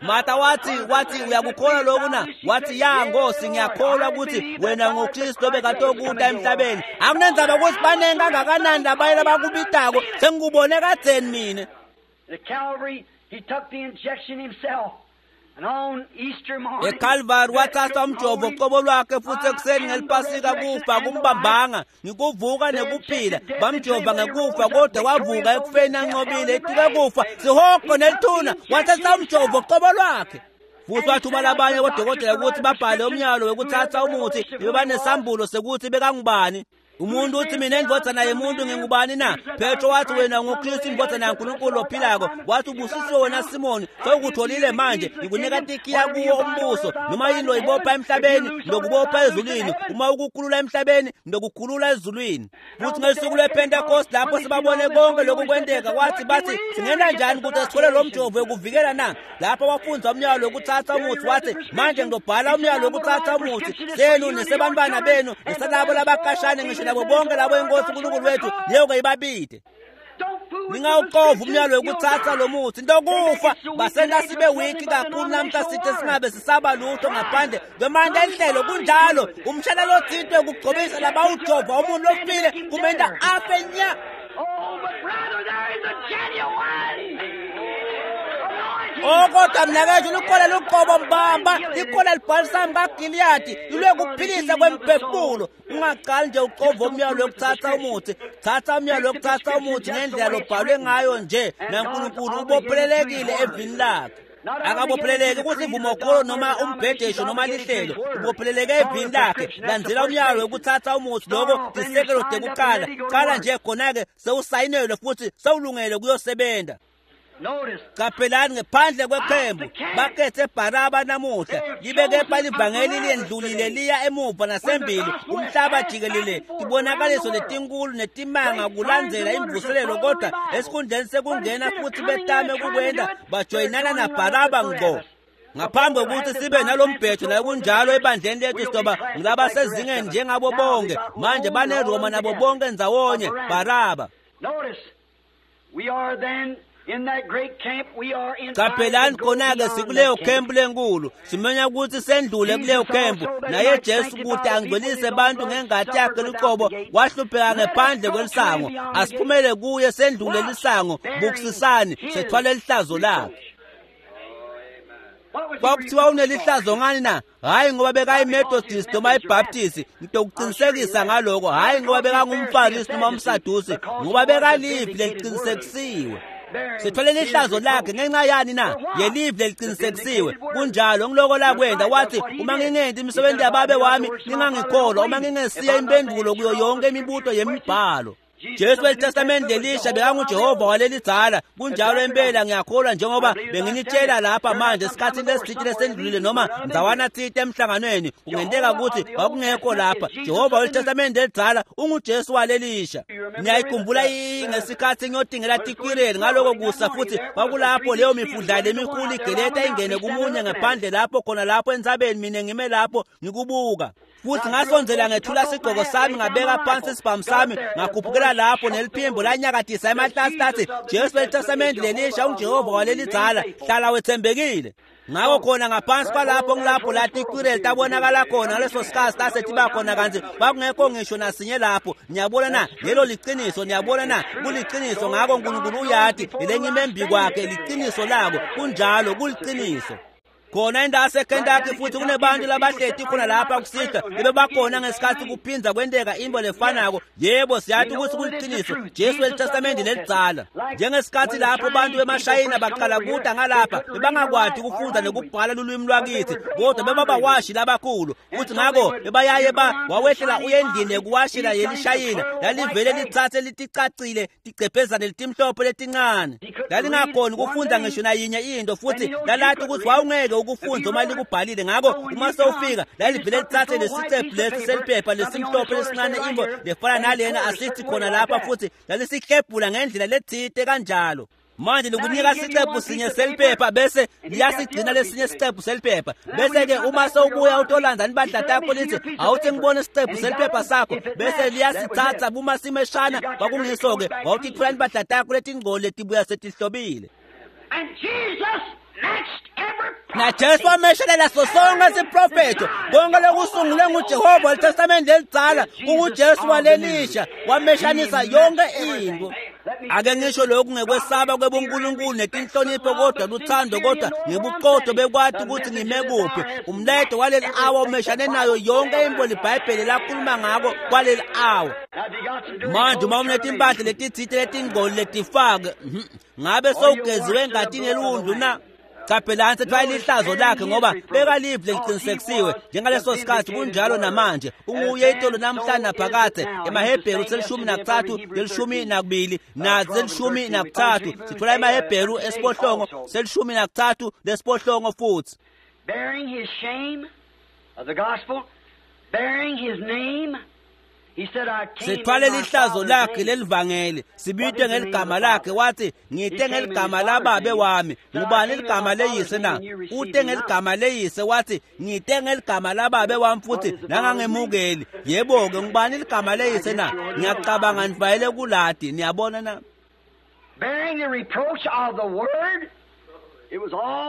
Martha wathi wathi uyakukholwa lokhu na? Wathi ya Nkosi ngiyakholwa ukuthi wena ngoKristu obekatokuta emhlabeni. Akunenzaba ukuthi banengi kangakanani labaye labakubitako sengikubone kadzeni mina. The Calvary, he took the injection himself. eCalvary watsatsa umjovo qobo lwakhe futhi ekuseni ngelipasika kufa kumbambanga ngikuvuka nekuphila bamjova ngekufa kodwa wavuka ekufeni anqobile etuke kufa sihogo nelithuna watsatsa umjovo qobo lwakhe. Futhi wathuma labanye bodokotela ukuthi babhale umyalo wekutsatsa umuthi bebanesambulo sekuthi bekangubani. Umuntu uthi mina indvodzana yemuntu ngingubani na? Petro wathi wena nguKristu indvodzana yaNkulunkulu ophilako. Wathi ubusisiwe wena Simoni, sewukutholile manje ngikunika tikiya kuwo umbuso. Noma yini loyibopha emhlabeni ngokubopha ezulwini, uma ukukhulula emhlabeni ngokukhulula ezulwini. Futhi ngesuku lwePentecost lapho sibabone konke lokhu kwenteka wathi bathi singena njani ukuthi sithole lo mjovo wekuvikela na? Lapho wafunza umyalo wekutsatsa umuthi wathi manje ngizobhala umyalo wekutsatsa umuthi senu nesebantwana benu nesalabo labakashane ngisho nabo bonke labo inkosi uNkulunkulu wethu leyo ibabide. Ningawuqova umyalo wekutsatsa lo muthi ntokufa basenta sibe wiki kakhulu namhla sithe singabe sisaba lutho ngaphandle kwemandla enhlelo. Kunjalo umshana lothintwe ukugcobisa labawujova umuntu lofile kumenta afe nya. Oh kodwa mnakethu lukhola luqobo mbamba likhola libhalisami kaGiliyadi lilwe kuphilisa kwemphefumulo. Ungaqali nje uqova umyalo wekutsatsa umuthi, thatha umyalo wekutsatsa umuthi ngendlela lobhalwe ngayo nje naNkulunkulu ubophelelekile evini lakhe. Akabopheleleki ukuthi ivumokholo noma umbhedesho noma lihlelo, ubopheleleke evini lakhe. Landzela umyalo wekutsatsa umuthi loko tisekelo tekuqala qala nje khona-ke sewusayinelwe futhi sewulungele kuyosebenza. Qaphelani ngephandle kweqembu bakhethe Baraba namuhla libe kepha livangeli liyendlulile liya emuva nasembili umhlaba jikelele tibonakaliso letinkulu netimanga kulandzela imvuselelo kodwa esikhundleni sekungena futhi betame kukwenda bajoyinana naBaraba ngqo. Ngaphambi kokuthi sibe nalombhejo nakunjalo ebandleni lethu sidoba ngilabasezingeni njengabo bonke manje baneRoma nabo bonke ndzawonye Baraba. We are then in that great camp, we are in. Qaphelani khona-ke sikuleyo khempu lenkulu simenya ukuthi sendlule kuleyo khempu naye Jesu ukuthi angcwelise bantu ngengati yakhe luqobo wahlupheka ngephandle kwelisango. Asiphumele kuye sendlule lisango bukusisani sethwale lihlazo lakhe. Kwakuthiwa unelihlazo ngani na? Hhayi ngoba bekayiMethodist noma iBaptist, ngitokuqinisekisa ngaloko. Hhayi ngoba bekangumFarisi noma umSadusi, ngoba bekalivi leliqinisekisiwe. Sithwele lihlazo lakhe ngenxa yani na? Yelivi leliqinisekisiwe. Kunjalo ngiloko lakwenda wathi uma ngingenti imisebenzi yababe wami ningangikholwa, uma ngingesiye impendulo kuyo yonke imibuto yemibhalo. Jesu weTestamente lelisha bekanguJehova walelidzala. Kunjalo impela ngiyakholwa njengoba benginitshela lapha manje esikhathini lesithile lesendlulile noma ndzawana thite emhlanganweni kungenteka ukuthi kwakungekho lapha. Jehova weTestamente lelidzala unguJesu walelisha. Niyayikhumbula ngesikhathi ngiyodingela tikwireli ngaloko kusa futhi kwakulapho leyo mifudlana lemikhulu igeleta ingene kumunye ngaphandle lapho khona lapho entsabeni mina ngime lapho ngikubuka. Futhi ngasondzela ngethula sigqoko sami ngabeka phansi isibhamu sami ngakhuphukela lapho neliphimbo lanyakatisa emahlasi lathi Jesu weTestamente lelisha unguJehova walelidzala hlala wethembekile. Ngakho khona ngaphansi kwalapho ngilapho lathi ikwireli tabonakala khona ngaleso sikhathi lasetiba khona kantsi kwakungekho ngisho nasinye lapho. Niyabona na lelo liqiniso, niyabona na kuliqiniso. Ngakho uNkulunkulu uyati lelengime embi kwakhe liqiniso lako. Kunjalo kuliqiniso. Khona indawo yaseKentucky futhi kunebantu labahleti khona lapha kusihlwa bebebakhona ngesikhathi kuphinza kwenteka into lefanako. Yebo siyathi ukuthi kuliqiniso Jesu weTestamente lelidzala. Njengesikhathi lapho abantu bemashayina baqala kuda ngalapha bebangakwati ukufunda nokubhala lulwimi lwakithi kodwa bebabawashi labakhulu futhi ngakho bebayaye ba wawehlela uye endlini yekuwashela yelishayina lalivele lithathe liticacile tigcebhezane letimhlophe letincane. Lalingakhoni ukufunda ngisho nayinye into futhi lalathi ukuthi wawungeke ukufundze uma likubhalile. Ngako uma sewufika lalivele litsatse lesicephu lesi seliphepha lesimhlophe lesincane intfo lefana nalena asithi khona lapha, futhi lalisiklebhula ngendlela letsite kanjalo. Manje likunika sicephu sinye seliphepha bese liyasigcina lesinye sicephu seliphepha, bese-ke uma sewubuya utolandza nibandla takho lithi awuthi ngibone isicephu seliphepha sakho, bese liyasitsatsa uma simeshana. Kwakungiso-ke wawutitfola nibandla takho letingcoli letibuya setihlobile. NaJesu wameshelela sonke siprofetho konke lokusungulwe nguJehova weTestamente lelidzala kunguJesu walelisha, wameshanisa yonke intfo. Ake ngisho lokhu ngekwesaba kwebunkulunkulu netinhlonipho kodwa luthando kodwa ngebuqotho bekwati ukuthi ngime kuphi. Umlayeto waleli awa umeshane nayo yonke intfo liBhayibheli lakhuluma ngako kwaleli awa. Manje uma unetimpahla letitsite letingcoli letifake, ngabe sewugeziwe engatini yeliwundlu na? Caphelani sethwala lihlazo lakhe ngoba bekalive leliqinisekisiwe njengaleso sikhathi kunjalo namanje. Unguye itolo namhlanje naphakadze. EmaHebheru selishumi nakutsatfu lelishumi nakubili naselishumi nakutsatfu sithola emaHebheru esibohlongo selishumi nakutsatfu lesibohlongo futhi. Bearing his shame of the gospel, bearing his name. Sithwale lihlazo lakhe lelivangeli, sibitwe ngeligama lakhe. Wathi ngite ngeligama lababe wami. Ngubani ligama leyise na? Ute ngeligama leyise. Wathi ngite ngeligama lababe wami futhi nangangemukeli. Yebo-ke, ngubani ligama leyise na? Ngiyacabanga nivayele kulati. Niyabona na? Bearing the reproach of the word.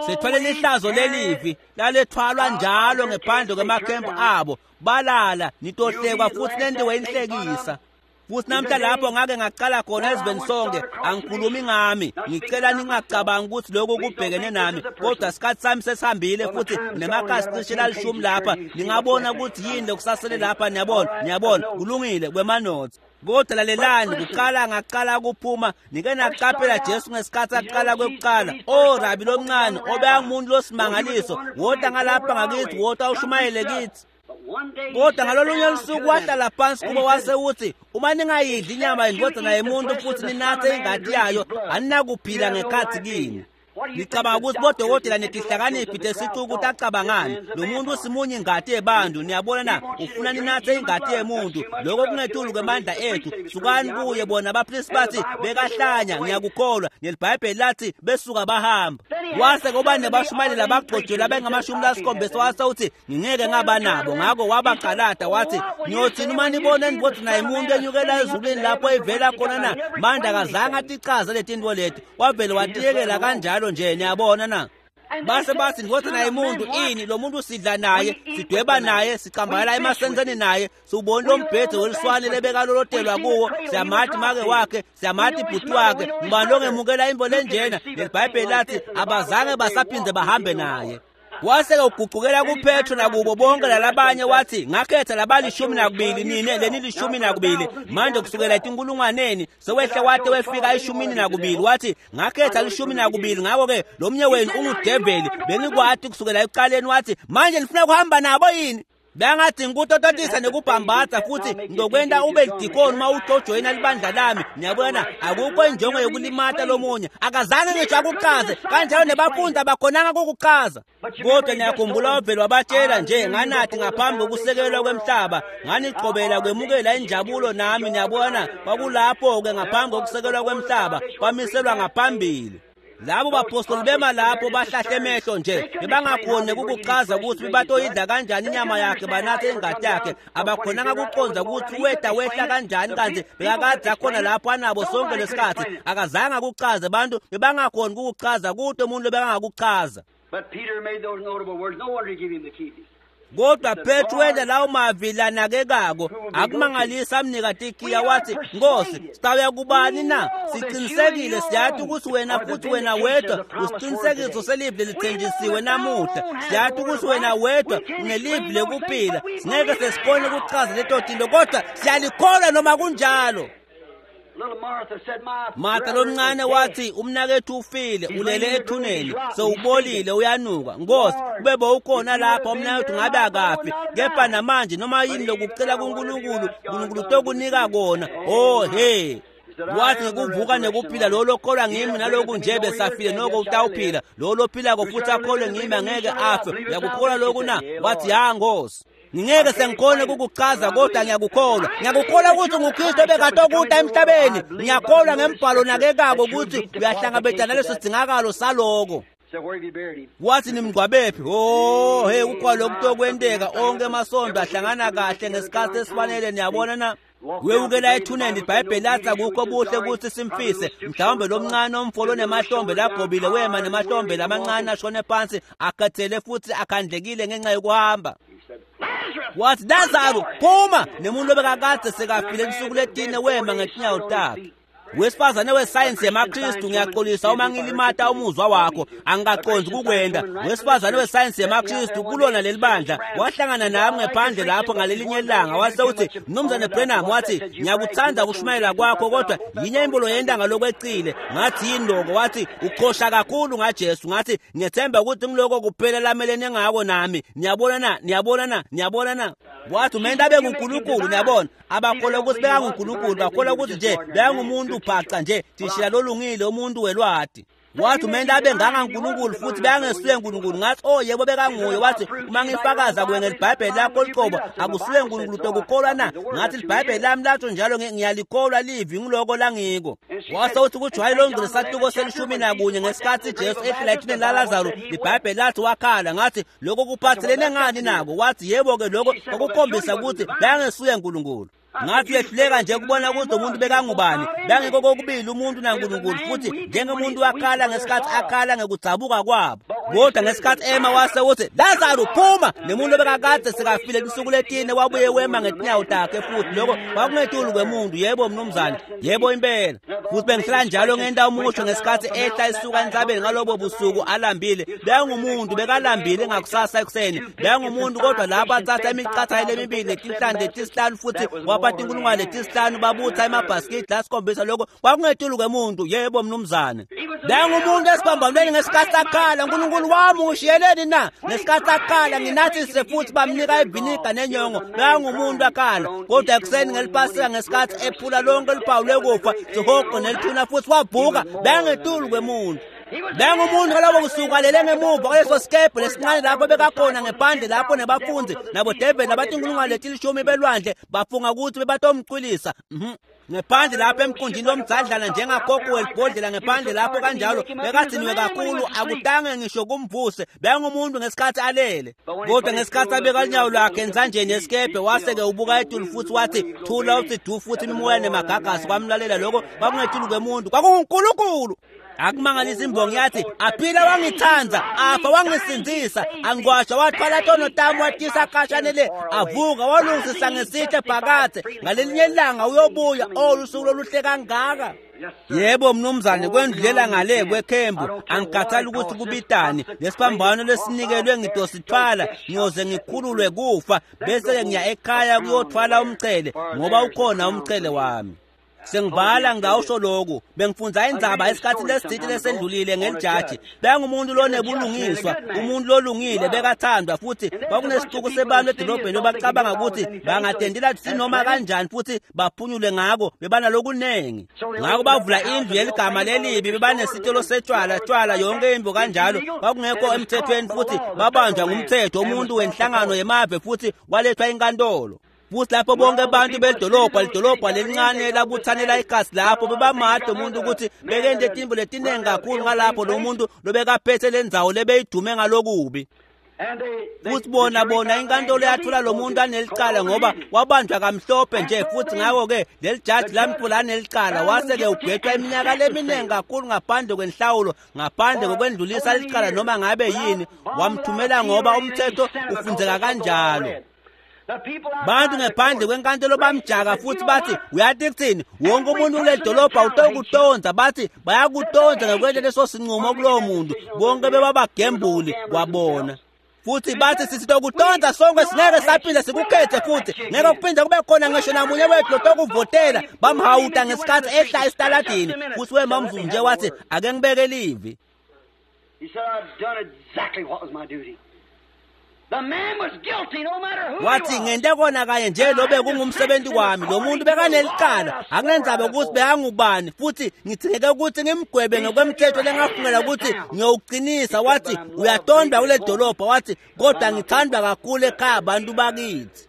Sithwale lihlazo lelivi lalethwalwa njalo ngephandle kwemakhempu abo. Balala nitohlekwa futhi lentiwe inhlekisa. Futhi namhla lapho ngake ngaqala khona ezweni sonke, angikhulumi ngami, ngicela ningacabangi ukuthi lokhu kubhekene nami, kodwa isikhathi sami sesihambile futhi nemakhasi cishe lalishumi lapha. Ningabona ukuthi yini lokusasele lapha. Niyabona, niyabona, kulungile kwemanothi. Kodwa lalelani, kuqala ngaqala kuphuma nike naqaphela Jesu ngesikhathi aqala kwekuqala. O rabi lomncane obeyangumuntu losimangaliso, wota ngalapha ngakithi, wota ushumayele kithi. Kodwa ngalolunye lusuku wahlala phansi kubo wase uthi uma ningayidli inyama yendodana yemuntu futhi ninathe ingati yayo, aninakuphila ngekhathi kini. Ngicabanga ukuthi bodokotela netihlakaniphi tesicuku tacabangani, lo muntu usimunye ingati yebantu. Niyabona na? Ufuna ninathe ingati yemuntu, lokho kungetulu kwemandla ethu. Sukani kuye. Bona abapristi bathi bekahlanya, ngiyakukholwa. NeliBhayibheli lathi besuka bahamba. Wase kuba nebashumayeli abagcotshwe abengamashumi lasikhombisa, wase uthi ngingeke ngaba nabo. Ngako wabaqalada wathi niyothini uma nibona endodana yemuntu enyukela ezulwini lapho ivela khona na? Manje akazange atichaze letintfo leti, wavele watiyekela kanjalo nje. Niyabona na? Base bathi ndodana yemuntu ini? Lo muntu sidla naye, sidweba naye, sicambalala emasenzeni naye, siwubona lo mbhede weliswane lebekalolotelwa kuwo, siyamati make wakhe, siyamati ibhuti wakhe. Ngubani longemukela intfo lenjena? NeliBhayibheli lathi abazange basaphindze bahambe naye. Wase-ke ugucukela kuPetro nakubo bonke lalabanye wathi ngakhetha labalishumi nakubili, nine lenilishumi nakubili. Manje kusukela etinkulungwaneni sewehle wate wefika eshumini nakubili. Wathi ngakhetha lishumi nakubili, ngako-ke lo mnye wenu ungudeveli, bengikwati kusukela ekuqaleni. Wathi manje nifuna kuhamba nabo yini? Bengathi ngikutototisa nekubhambatha futhi ngizokwenta ube lidikoni uma utojoyina libandla lami. Niyabona, akukho injongo yokulimata lomunye. Akazange ngisho akuchaze kanjalo, nebafundi abakhonanga kukuchaza. Kodwa niyakhumbula wavele wabatshela nje nganathi ngaphambi kokusekelwa kwemhlaba, nganigqobela kwemukela injabulo nami. Niyabona, kwakulapho-ke ngaphambi kokusekelwa kwemhlaba, kwamiselwa ngaphambili. Labo bapostoli bema lapho bahlahle emehlo nje, bebangakhoni ukukuchaza ukuthi batoyidla kanjani inyama yakhe banathe ingati yakhe. Abakhonanga kucondza ukuthi weta wehla kanjani, kanti bekakade akhona lapho anabo sonke lesikhathi. Akazange akuchaze, bantu bebangakhoni ukukuchaza, kude umuntu lobekangakuchaza. But Peter made those notable words. No wonder he gave him the keys. Kodwa Petro wenta lawo mavi lanakekako, akumangalisi amnika tikiya. Wathi Nkosi, sitawuya kubani na? Siqinisekile siyati ukuthi wena futhi wena wedwa usiqinisekiso selivi lelithenjisiwe namuhla. Siyati ukuthi wena wedwa unelivi lekuphila. Singeke sesikhone ukuchaza leto tinto, kodwa siyalikholwa noma kunjalo. Martha lomncane wathi umnakethu ufile, ulele ethuneni, sewubolile, uyanuka. Nkosi, kube bowukhona lapha umnakethu ngabe akafi, kepha namanje noma yini lokucela kuNkulunkulu, uNkulunkulu utokunika kona. Oh he. Wathi ngikuvuka nekuphila lo lokholwa ngimi naloku nje besafile noko utawuphila lo lophilako futhi akholwe ngimi angeke afe. Uyakukholwa loku na? Wathi ya Nkosi. Ngingeke sengikhone ukukuchaza kodwa ngiyakukholwa. Ngiyakukholwa ukuthi nguKristu obekade emhlabeni. Ngiyakholwa ngembhalo nakekako ukuthi uyahlangabetana naleso sidingakalo saloko. Wathi nimngcwabephi? Oh hey kukho lokutokwenteka onke emasonto ahlangana kahle ngesikhathi esifanele niyabona na? Wewukela ethuneni iBhayibheli lathi akukho buhle ukuthi simfise. Mhlawumbe lomncane omfo lonemahlombe lagobile wema nemahlombe lamancane ashone phansi akhathele futhi akhandlekile ngenxa yokuhamba. Wathi Lazaro phuma nemuntu obekakade sekafile insuku letine wema ngetinyawo takhe. Wesifazane wesayensi yemaKristu ngiyaxolisa uma ngilimata umuzwa wakho angikaqondi ukukwenda. Wesifazane wesayensi yemaKristu kulona leli bandla wahlangana nami ngephandle lapho ngalelinye ilanga wase uthi Mnumzane Branham wathi ngiyakuthanda ukushumayela kwakho kodwa yinye imbulo yenta ngalokwecile. Ngathi yini lokho? Wathi uqhosha kakhulu ngaJesu. Ngathi ngiyethemba ukuthi ngiloko kuphela lamelene ngako nami. Niyabona na? Niyabona na? Niyabona na? Wathi umenta abe nguNkulunkulu. Niyabona abakholwa ukuthi bekanguNkulunkulu bakholwa ukuthi nje bekangumuntu bhaca nje thishila lolungile umuntu welwati. Wathi umenta abe ngangaNkulunkulu futhi bekangesuye uNkulunkulu. Ngathi oh yebo bekanguye. Wathi uma ngifakaza kuwe ngelibhayibheli lakho liqobo akusuye uNkulunkulu tokukholwa na? Ngathi libhayibheli lami latsho njalo ngiyalikholwa livi ngiloko langiko. Wase uthi kujwayele longcwele sahluko selishumi nakunye ngesikhathi Jesu ehlela ethuneni laLazaro libhayibheli lathi wakhala. Ngathi lokho kuphathelene ngani nako? Wathi yebo ke lokho okukhombisa ukuthi bekangesuye uNkulunkulu. Ngathi uyehluleka nje ukubona ukuthi umuntu bekangubani. Bengekho kokubili umuntu naNkulunkulu futhi njengomuntu wakhala ngesikhathi akhala ngekudzabuka kwabo. Kodwa ngesikhathi ema wase uthi Lazaro phuma nemuntu obekakade sekafile insuku letine wabuye wema ngetinyawo takhe futhi lokho kwakungetulu kwemuntu. Yebo mnumzane, yebo impela. Futhi bengihlala njalo ngenta umusho ngesikhathi ehla isuka entsabeni ngalobo busuku alambile. Bengumuntu bekalambile ngakusasa ekuseni. Bengumuntu kodwa lapho athatha imicatha lemibili netinhlanti letisihlanu futhi waphatha inkulungwane letisihlanu babutha emabhasikidi lasikhombisa lokho kwakungetulu kwemuntu. Yebo mnumzane. Bengumuntu esibambanweni ngesikhathi akhala uNkulunkulu wami ungishiyeleni na? Ngesikhathi akhala nginathise futhi bamnika iviniga nenyongo. Bengumuntu akhala kodwa ekuseni ngelipasika ngesikhathi ephula lonke luphawu lwekufa sihogo nelithuna futhi wavuka. Bengetulu kwemuntu. Bengumuntu ngalobo kusuka lele ngemuva kwaleso sikebhe lesincane lapho bekakhona ngephandle lapho nebafundi nabo David nabatinkulungwane letilishumi belwandle bafunga ukuthi bebatomcwilisa. Mhm. Ngephandle lapho emkhunjini lomdzadlana njengagogo welibhodlela ngephandle lapho kanjalo bekadzinwe kakhulu akutange ngisho kumvuse. Bengumuntu ngesikhathi alele kodwa ngesikhathi abeka unyawo lwakhe ensanjeni yesikebhe wase-ke ubuka etulu futhi wathi thula uthi du futhi imimoya nemagagasi kwamlalela. Lokho kwakungetulu kwemuntu kwakunguNkulunkulu. Akumangalisa imbongi yathi aphila wangithanda afa wangisindzisa angwasha wathwala tono tami watisa khashane le avuka walungisisa ngesihle phakathe ngalelinye ilanga uyobuya. Oh lusuku loluhle kangaka. Yebo mnumzane kwendlulela ngale kwekhembu angikhathali ukuthi kubitani lesiphambano lesinikelwe ngidosithwala ngiyoze ngikhululwe kufa bese-ke ngiya ekhaya kuyothwala umchele ngoba ukhona umchele wami. Sengivala ngawusho lokhu bengifundza indzaba esikhathini lesithile lesendlulile ngelijaji. Bengumuntu lonebulungiswa umuntu lolungile bekathandwa futhi kwakunesixuku sebantu edolobheni abacabanga ukuthi bangatendela sinoma kanjani futhi baphunyule ngako bebanalokunengi. Ngakho bavula indlu yeligama lelibi bebanesitolo setshwala tshwala yonke imbo kanjalo kwakungekho emthethweni futhi babanjwa ngumthetho umuntu wenhlangano yemave futhi walethwa inkantolo. Futhi lapho bonke abantu bedolobha lidolobha lelincane labuthanela igazi lapho bebamade umuntu ukuthi bekente timbo letinengi kakhulu ngalapho lo muntu lobekaphethe le ndzawo lebeyidume ngalokubi. Futhi bona bona inkantolo yathola lo muntu anelicala ngoba wabanjwa kamhlophe nje futhi ngakho-ke leli jaji lamthola anelicala wase-ke ugwetshwa iminyaka leminingi kakhulu ngaphandle kwenhlawulo ngaphandle kokwendlulisa licala noma ngabe yini wamthumela ngoba umthetho ufundzeka kanjalo. Bantu ngephandle kwenkantolo bamjaka futhi bathi uyathi kuthini wonke umuntu kuleli dolobha utokutonza bathi bayakutonza ngokwenta leso sinqumo kulowo muntu bonke bebabagembuli kwabona. Futhi bathi sisitokutonza sonke singeke saphinde sikukhethe futhi ngeke kuphinde kube khona ngisho namunye wethu lotokuvotela. Bamhawuta ngesikhathi ehla esitaladini futhi wema mzuzu nje wathi ake ngibeke livi. He said, I've done exactly what was my duty. Wathi ngente kona kanye nje lobe kungumsebenzi wami lo muntu bekanelicala akunendzaba ukuthi bekangubani futhi ngithingeke ukuthi ngimgwebe ngokwemthetho lengafungela ukuthi ngiyowuqinisa. Wathi uyatondwa kule dolobha, wathi kodwa ngithandwa kakhulu ekhaya abantu bakithi.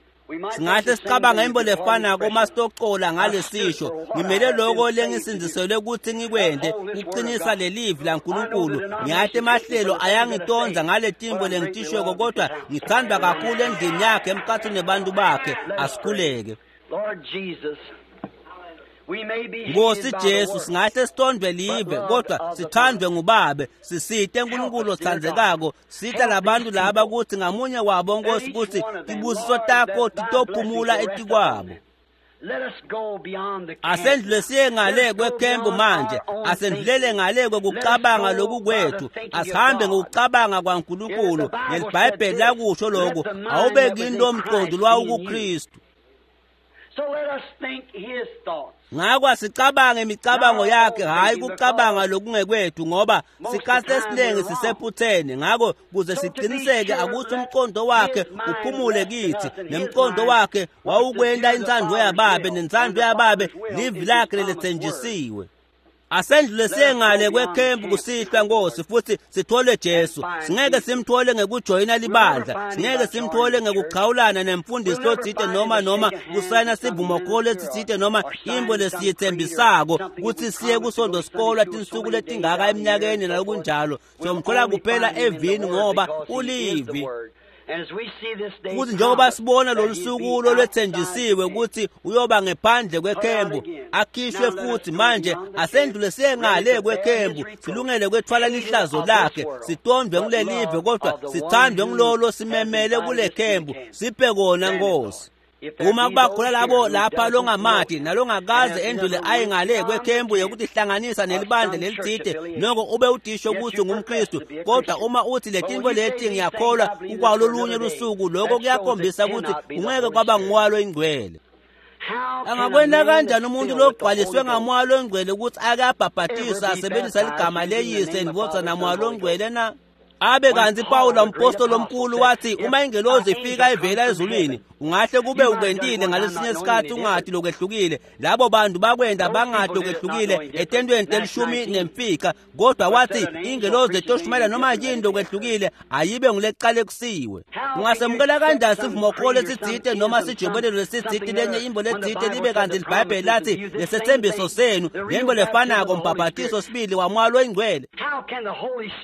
Singahle sicabanga into lefanako uma sitocola ngalesisho ngimele lokho lengisindziselwe ukuthi ngikwente ukuqinisa lelivi laNkulunkulu. Ngiyathi emahlelo ayangitonza ngale timbo lengitishweko kodwa ngithandwa kakhulu endlini yakhe emkhathini nebantu bakhe. Asikhuleke. Nkosi Jesu, singahle sitondwe live kodwa sithandwe ngubabe. Sisite uNkulunkulu othandzekako, sita labantu laba ukuthi ngamunye wabo Nkosi ukuthi tibusiso takho titophumula etikwabo. Asendlule siye ngale kwekhempu manje, asendlulele ngale kwekucabanga loku kwethu, asihambe ngokucabanga kwaNkulunkulu. NgeliBhayibheli lakusho lokhu, awube kini lo mqondo lwawukuKristu. Ngakho asicabange imicabango yakhe, hhayi kucabanga lokungekwethu, ngoba sikhathi esiningi sisephutheni. Ngakho kuze siqiniseke akuthi umqondo wakhe uphumule kithi, nemqondo wakhe wawukwenta intsandvo yababe, nentsandvo yababe livi lakhe lelethenjisiwe. Asendlule siye ngale kwekhempu kusihlwa Nkosi futhi sithole Jesu. Singeke simthole ngekujoyina libandla, singeke simthole ngekuchawulana nemfundisi lotsite noma noma kusayina sivumokholo lesitsite noma imbo lesiyithembisako kutsi siye kusonto sikolwa tinsuku letingaka eminyakeni nalokunjalo. Siyomthola kuphela evini ngoba ulivi. Futhi njengoba sibona lolu suku lolwethenjisiwe ukuthi uyoba ngephandle kwekhembu akhishwe futhi manje, asendlule siye ngale kwekhembu silungele kwethwala lihlazo lakhe, sitondwe kulelive kodwa sithandwe ngulolo simemele kule khembu. Siphe kona Nkosi. Uma kuba khona labo lapha longamati nalongakaze endlule aye ngale kwekhembu yokuthi hlanganisa nelibandla lelitsite, noko ube udisho ukuthi ungumKristu, kodwa uma uthi letinto leti ngiyakholwa kukwalolunye lusuku, lokho kuyakhombisa ukuthi ungeke kwaba nguwalo ingcwele. Angakwenta kanjani umuntu logcwaliswe ngamoya longcwele ukuthi ake abhabhatisa asebenzisa ligama leyise ndvodza namoya longcwele na? Abe kanti Pawula umpostoli omkhulu wathi uma ingelozi ifika ivela ezulwini, ungahle kube ukwentile ngalesinye isikhathi ungathi lokwehlukile. Labo bantu bakwenda bangathi lokwehlukile etentweni telishumi nemfica, kodwa wathi ingelozi etoshumayela noma yini lokwehlukile ayibe ngulecale kusiwe. Ungasemukela kanjani sivumokholo lesitsite noma sijobelelo lesitsite lenye imbo letsite libe kanti liBhayibheli lathi lesethembiso senu lembo lefanako mbhabhatiso sibili wamoya loyingcwele?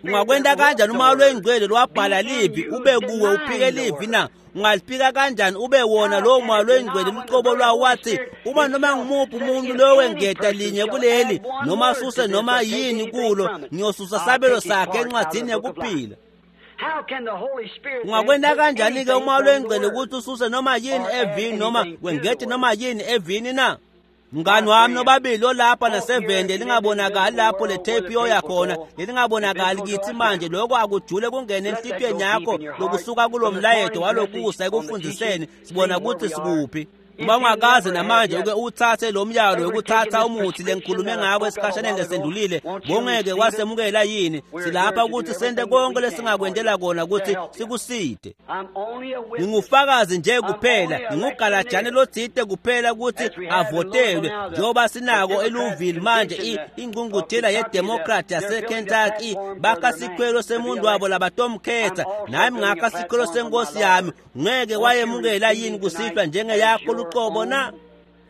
Ungakwenta kanjani uma lwengcwele lwabhala livi ube kuwe uphike livi na? Ungaliphika kanjani ube wona lowo moya lwengcwele lucobo lwawo? Wathi uma noma ngumuphi umuntu lowengeta linye kuleli noma asuse noma yini kulo, ngiyosusa sabelo sakhe encwadini yekuphila. Ungakwenta kanjani-ke umoya lwengcwele ukuthi ususe noma yini evini noma wengete noma yini evini na? Mngani wami nobabili olapha nasevende lingabonakali lapho le tape yoya khona, lelingabonakali kithi manje, lokho akujule kungene enhlitiyweni yakho lokusuka kulo mlayeto walokusa ekufundiseni sibona ukuthi sikuphi. Uma ungakaze namanje uke uthathe lo myalo wokuthatha umuthi lengikhulume ngako esikhashaneni lesendlulile, bongeke wasemukela yini? Silapha ukuthi sente konke lesingakwentela kona ukuthi sikuside. Ngingufakazi nje kuphela, ngingugalajane lotsite kuphela ukuthi avotelwe njengoba sinako eLouisville manje ingqungquthela yeDemocrat yaseKentucky bakha sikhwelo semuntu wabo labatomkhetha, nami ngakha sikhwelo senkosi yami. Ngeke wayemukela yini kusihlwa njengeyakho luqobo na?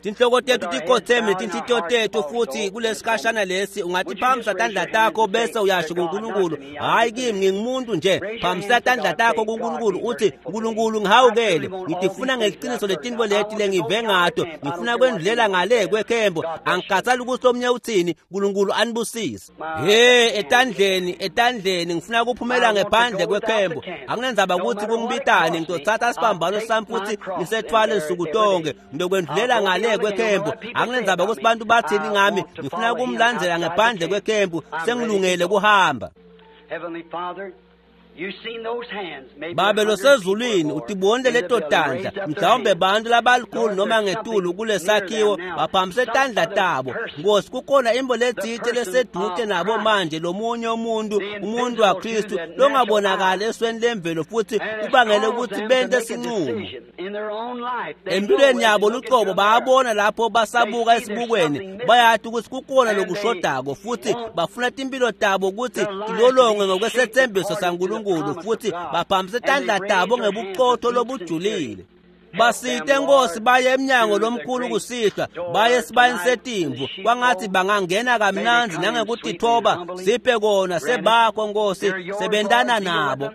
Tinhloko tethu tikhotheme netinhlitiyo tethu futhi kulesikhashana lesi ungatiphakamisa tandla takho bese uyasho kuNkulunkulu, hhayi kimi ngingumuntu nje. Phakamisa tandla takho kuNkulunkulu uthi, Nkulunkulu ngihawukele, ngitifuna ngeliciniso letinto leti lengive ngato, ngifuna kwendlulela ngale kwekhembo, angikhathali ukuthi omunye uthini. Nkulunkulu anibusise. He etandleni etandleni ngifuna kuphumela ngephandle kwekhembo, akunendzaba ukuthi kungibitane, ngitothatha siphambano sami futhi ngisethwale nsuku tonke, ngiyokwendlulela ngale kwekhembu, akunendzaba ukuthi bantu bathini ngami, ngifuna kumlandzela ngephandle kwekhembu, sengilungele kuhamba. Babe losezulwini utibonile leto tandla mhlawumbe bantu labalikhulu noma ngetulu kulesakhiwo baphamise tandla tabo Nkosi kukhona imbo letsite lesedute nabo manje lomunye umuntu umuntu waKristu longabonakali esweni lemvelo futhi ubangele ukuthi bente sinqumo empilweni yabo lucobo bayabona lapho basabuka esibukweni bayati ukuthi kukhona lokushodako futhi bafuna timpilo tabo ukuthi tilolongwe ngokwesethembiso saNkulunkulu futhi baphamise tandla tabo ngebuqotho lobujulile basite Nkosi baye emnyango lomkhulu kusihlwa baye esibayeni setimvu kwangathi bangangena kamnandzi nangekutithoba siphe kona sebakho Nkosi sebentana nabo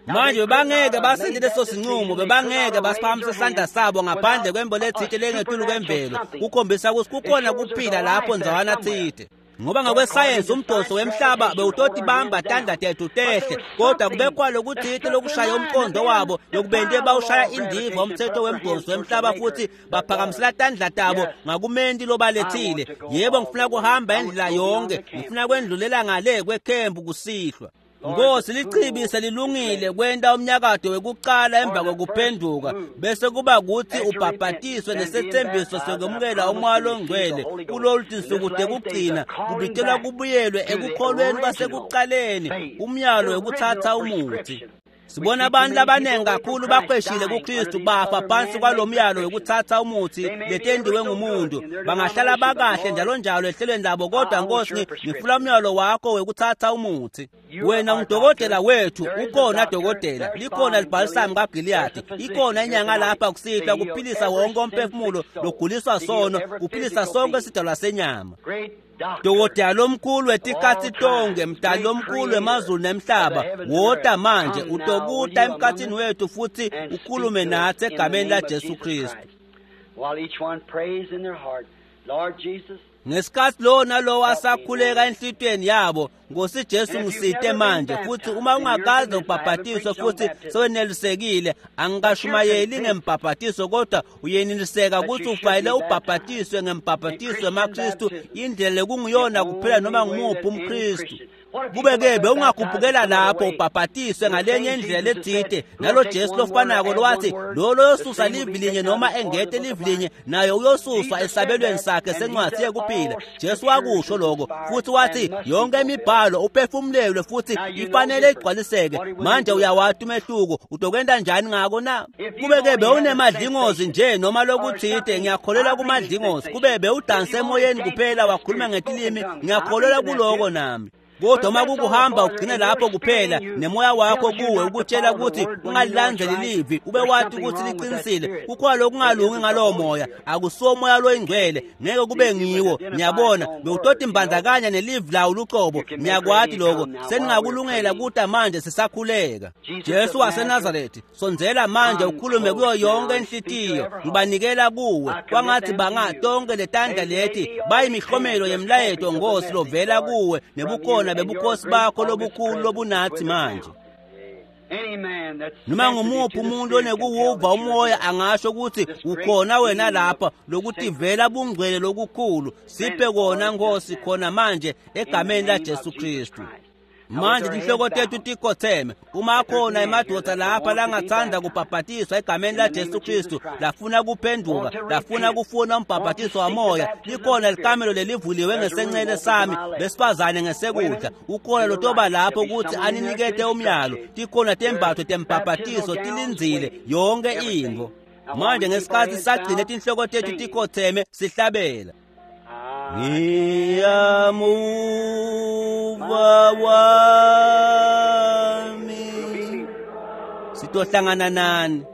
manje bebangeke basente leso sinqumo bebangeke basiphamise isandla sabo ngaphandle kwembo letsite lengetulu kwemvelo kukhombisa ukuthi kukhona kuphila lapho ndzawana tsite ngoba ngokwesayensi umdonso wemhlaba bewutotibamba tandla tethu tehle kodwa kubekwa lokuthite lokushaya umqondo wabo lokubente bawushaya indiva umthetho wemdonso wemhlaba futhi baphakamisela tandla tabo ngakumenti lobalethile yebo ngifuna kuhamba indlela yonke ngifuna kwendlulela ngale kwekhempu kusihlwa Nkosi lichibi selilungile kwenta umnyakado wekuqala emva kokuphenduka bese kuba kuthi ubhabhatiswe nesethembiso sokwemukela umoya longcwele kulolu tinsuku tekugcina kubitelwa kubuyelwe ekukholweni kwasekuqaleni umyalo wekuthatha umuthi sibona abantu abaningi kakhulu baqeshile kuKristu bafa phansi kwalomyalo wekuthatha umuthi letendiwe ngumuntu bangahlala bakahle njalo njalo ehlelweni labo kodwa Nkosi ngifuna umyalo wakho wekuthatha umuthi wena ngudokotela wethu ukhona dokotela likhona libhalisamu kaGiliyadi ikhona inyanga lapha kusihlwa kuphilisa wonke umphefumulo loguliswa sono kuphilisa sonke isidalwa senyama dokotela lomkhulu wetikhatsi tonke mdali lomkhulu wemazulu nemhlaba wota manje utokuta emkhathini wethu futhi ukhulume nathi egameni laJesu Kristu ngesikhathi lowo nalowo asakhuleka enhlitiyweni yabo Nkosi Jesu ngisite manje futhi uma ungakaze ubhabhatiswe futhi sewenelisekile angikashumayeli ngembhabhatiso kodwa uyeneliseka ukuthi ufanele ubhabhatiswe ngembhabhatiso wemaKristu indlela lekungiyona kuphela noma ngumuphi umKristu kube-ke bewungakhuphukela lapho ubhabhatiswe ngalenye indlela letsite nalo Jesu lofanako lowathi lo loyosusa livi linye noma engete livi linye naye uyosuswa esabelweni sakhe sencwadi yekuphila Jesu wakusho lokho futhi wathi yonke imibhalo uphefumulelwe futhi ifanele igcwaliseke manje uyawati umehluko utokwenta njani ngako na kube-ke bewunemadlingozi nje noma lokuthite ngiyakholelwa kumadlingozi kube bewudanse emoyeni kuphela wakhuluma ngetilimi ngiyakholelwa kuloko nami kodwa uma kukuhamba ugcine lapho kuphela nemoya wakho kuwe ukutshela ukuthi ungalilandzeli livi ube wati ukuthi liqinisile kukhona lokungalungi ngalowo moya akusiwo moya loyingcwele ngeke kube ngiwo niyabona bewutoti mbandzakanya nelivi lawo lucobo niyakwati lokho seningakulungela kuta manje sisakhuleka Jesu waseNazarethi sondzela manje ukhulume kuyo yonke inhlitiyo ngibanikela kuwe kwangathi bangatonke letandla leti bayimihlomelo yemlayeto Nkosi lovela kuwe nebukhona bebukhosi bakho lobukhulu lobunathi manje noma ngumuphi umuntu onekuwuva umoya angasho ukuthi ukhona wena lapha lokutivela bungcwele lokukhulu siphe kona Nkosi khona manje egameni laJesu Kristu manje tinhloko tethu tikhotheme uma khona emadoda lapha langathanda kubhabhatiswa egameni laJesu Kristu lafuna kuphenduka lafuna kufuna umbhabhatiso wamoya likhona likamelo lelivuliwe ngesencele sami besifazane ngesekudla ukhona lotoba lapho ukuthi aninikete umyalo tikhona tembatho tembhabhatiso tilindzile yonke intfo manje ngesikhathi sagcine tinhloko tethu tikhotheme sihlabela Ngiyamuva wami sitohlangana nani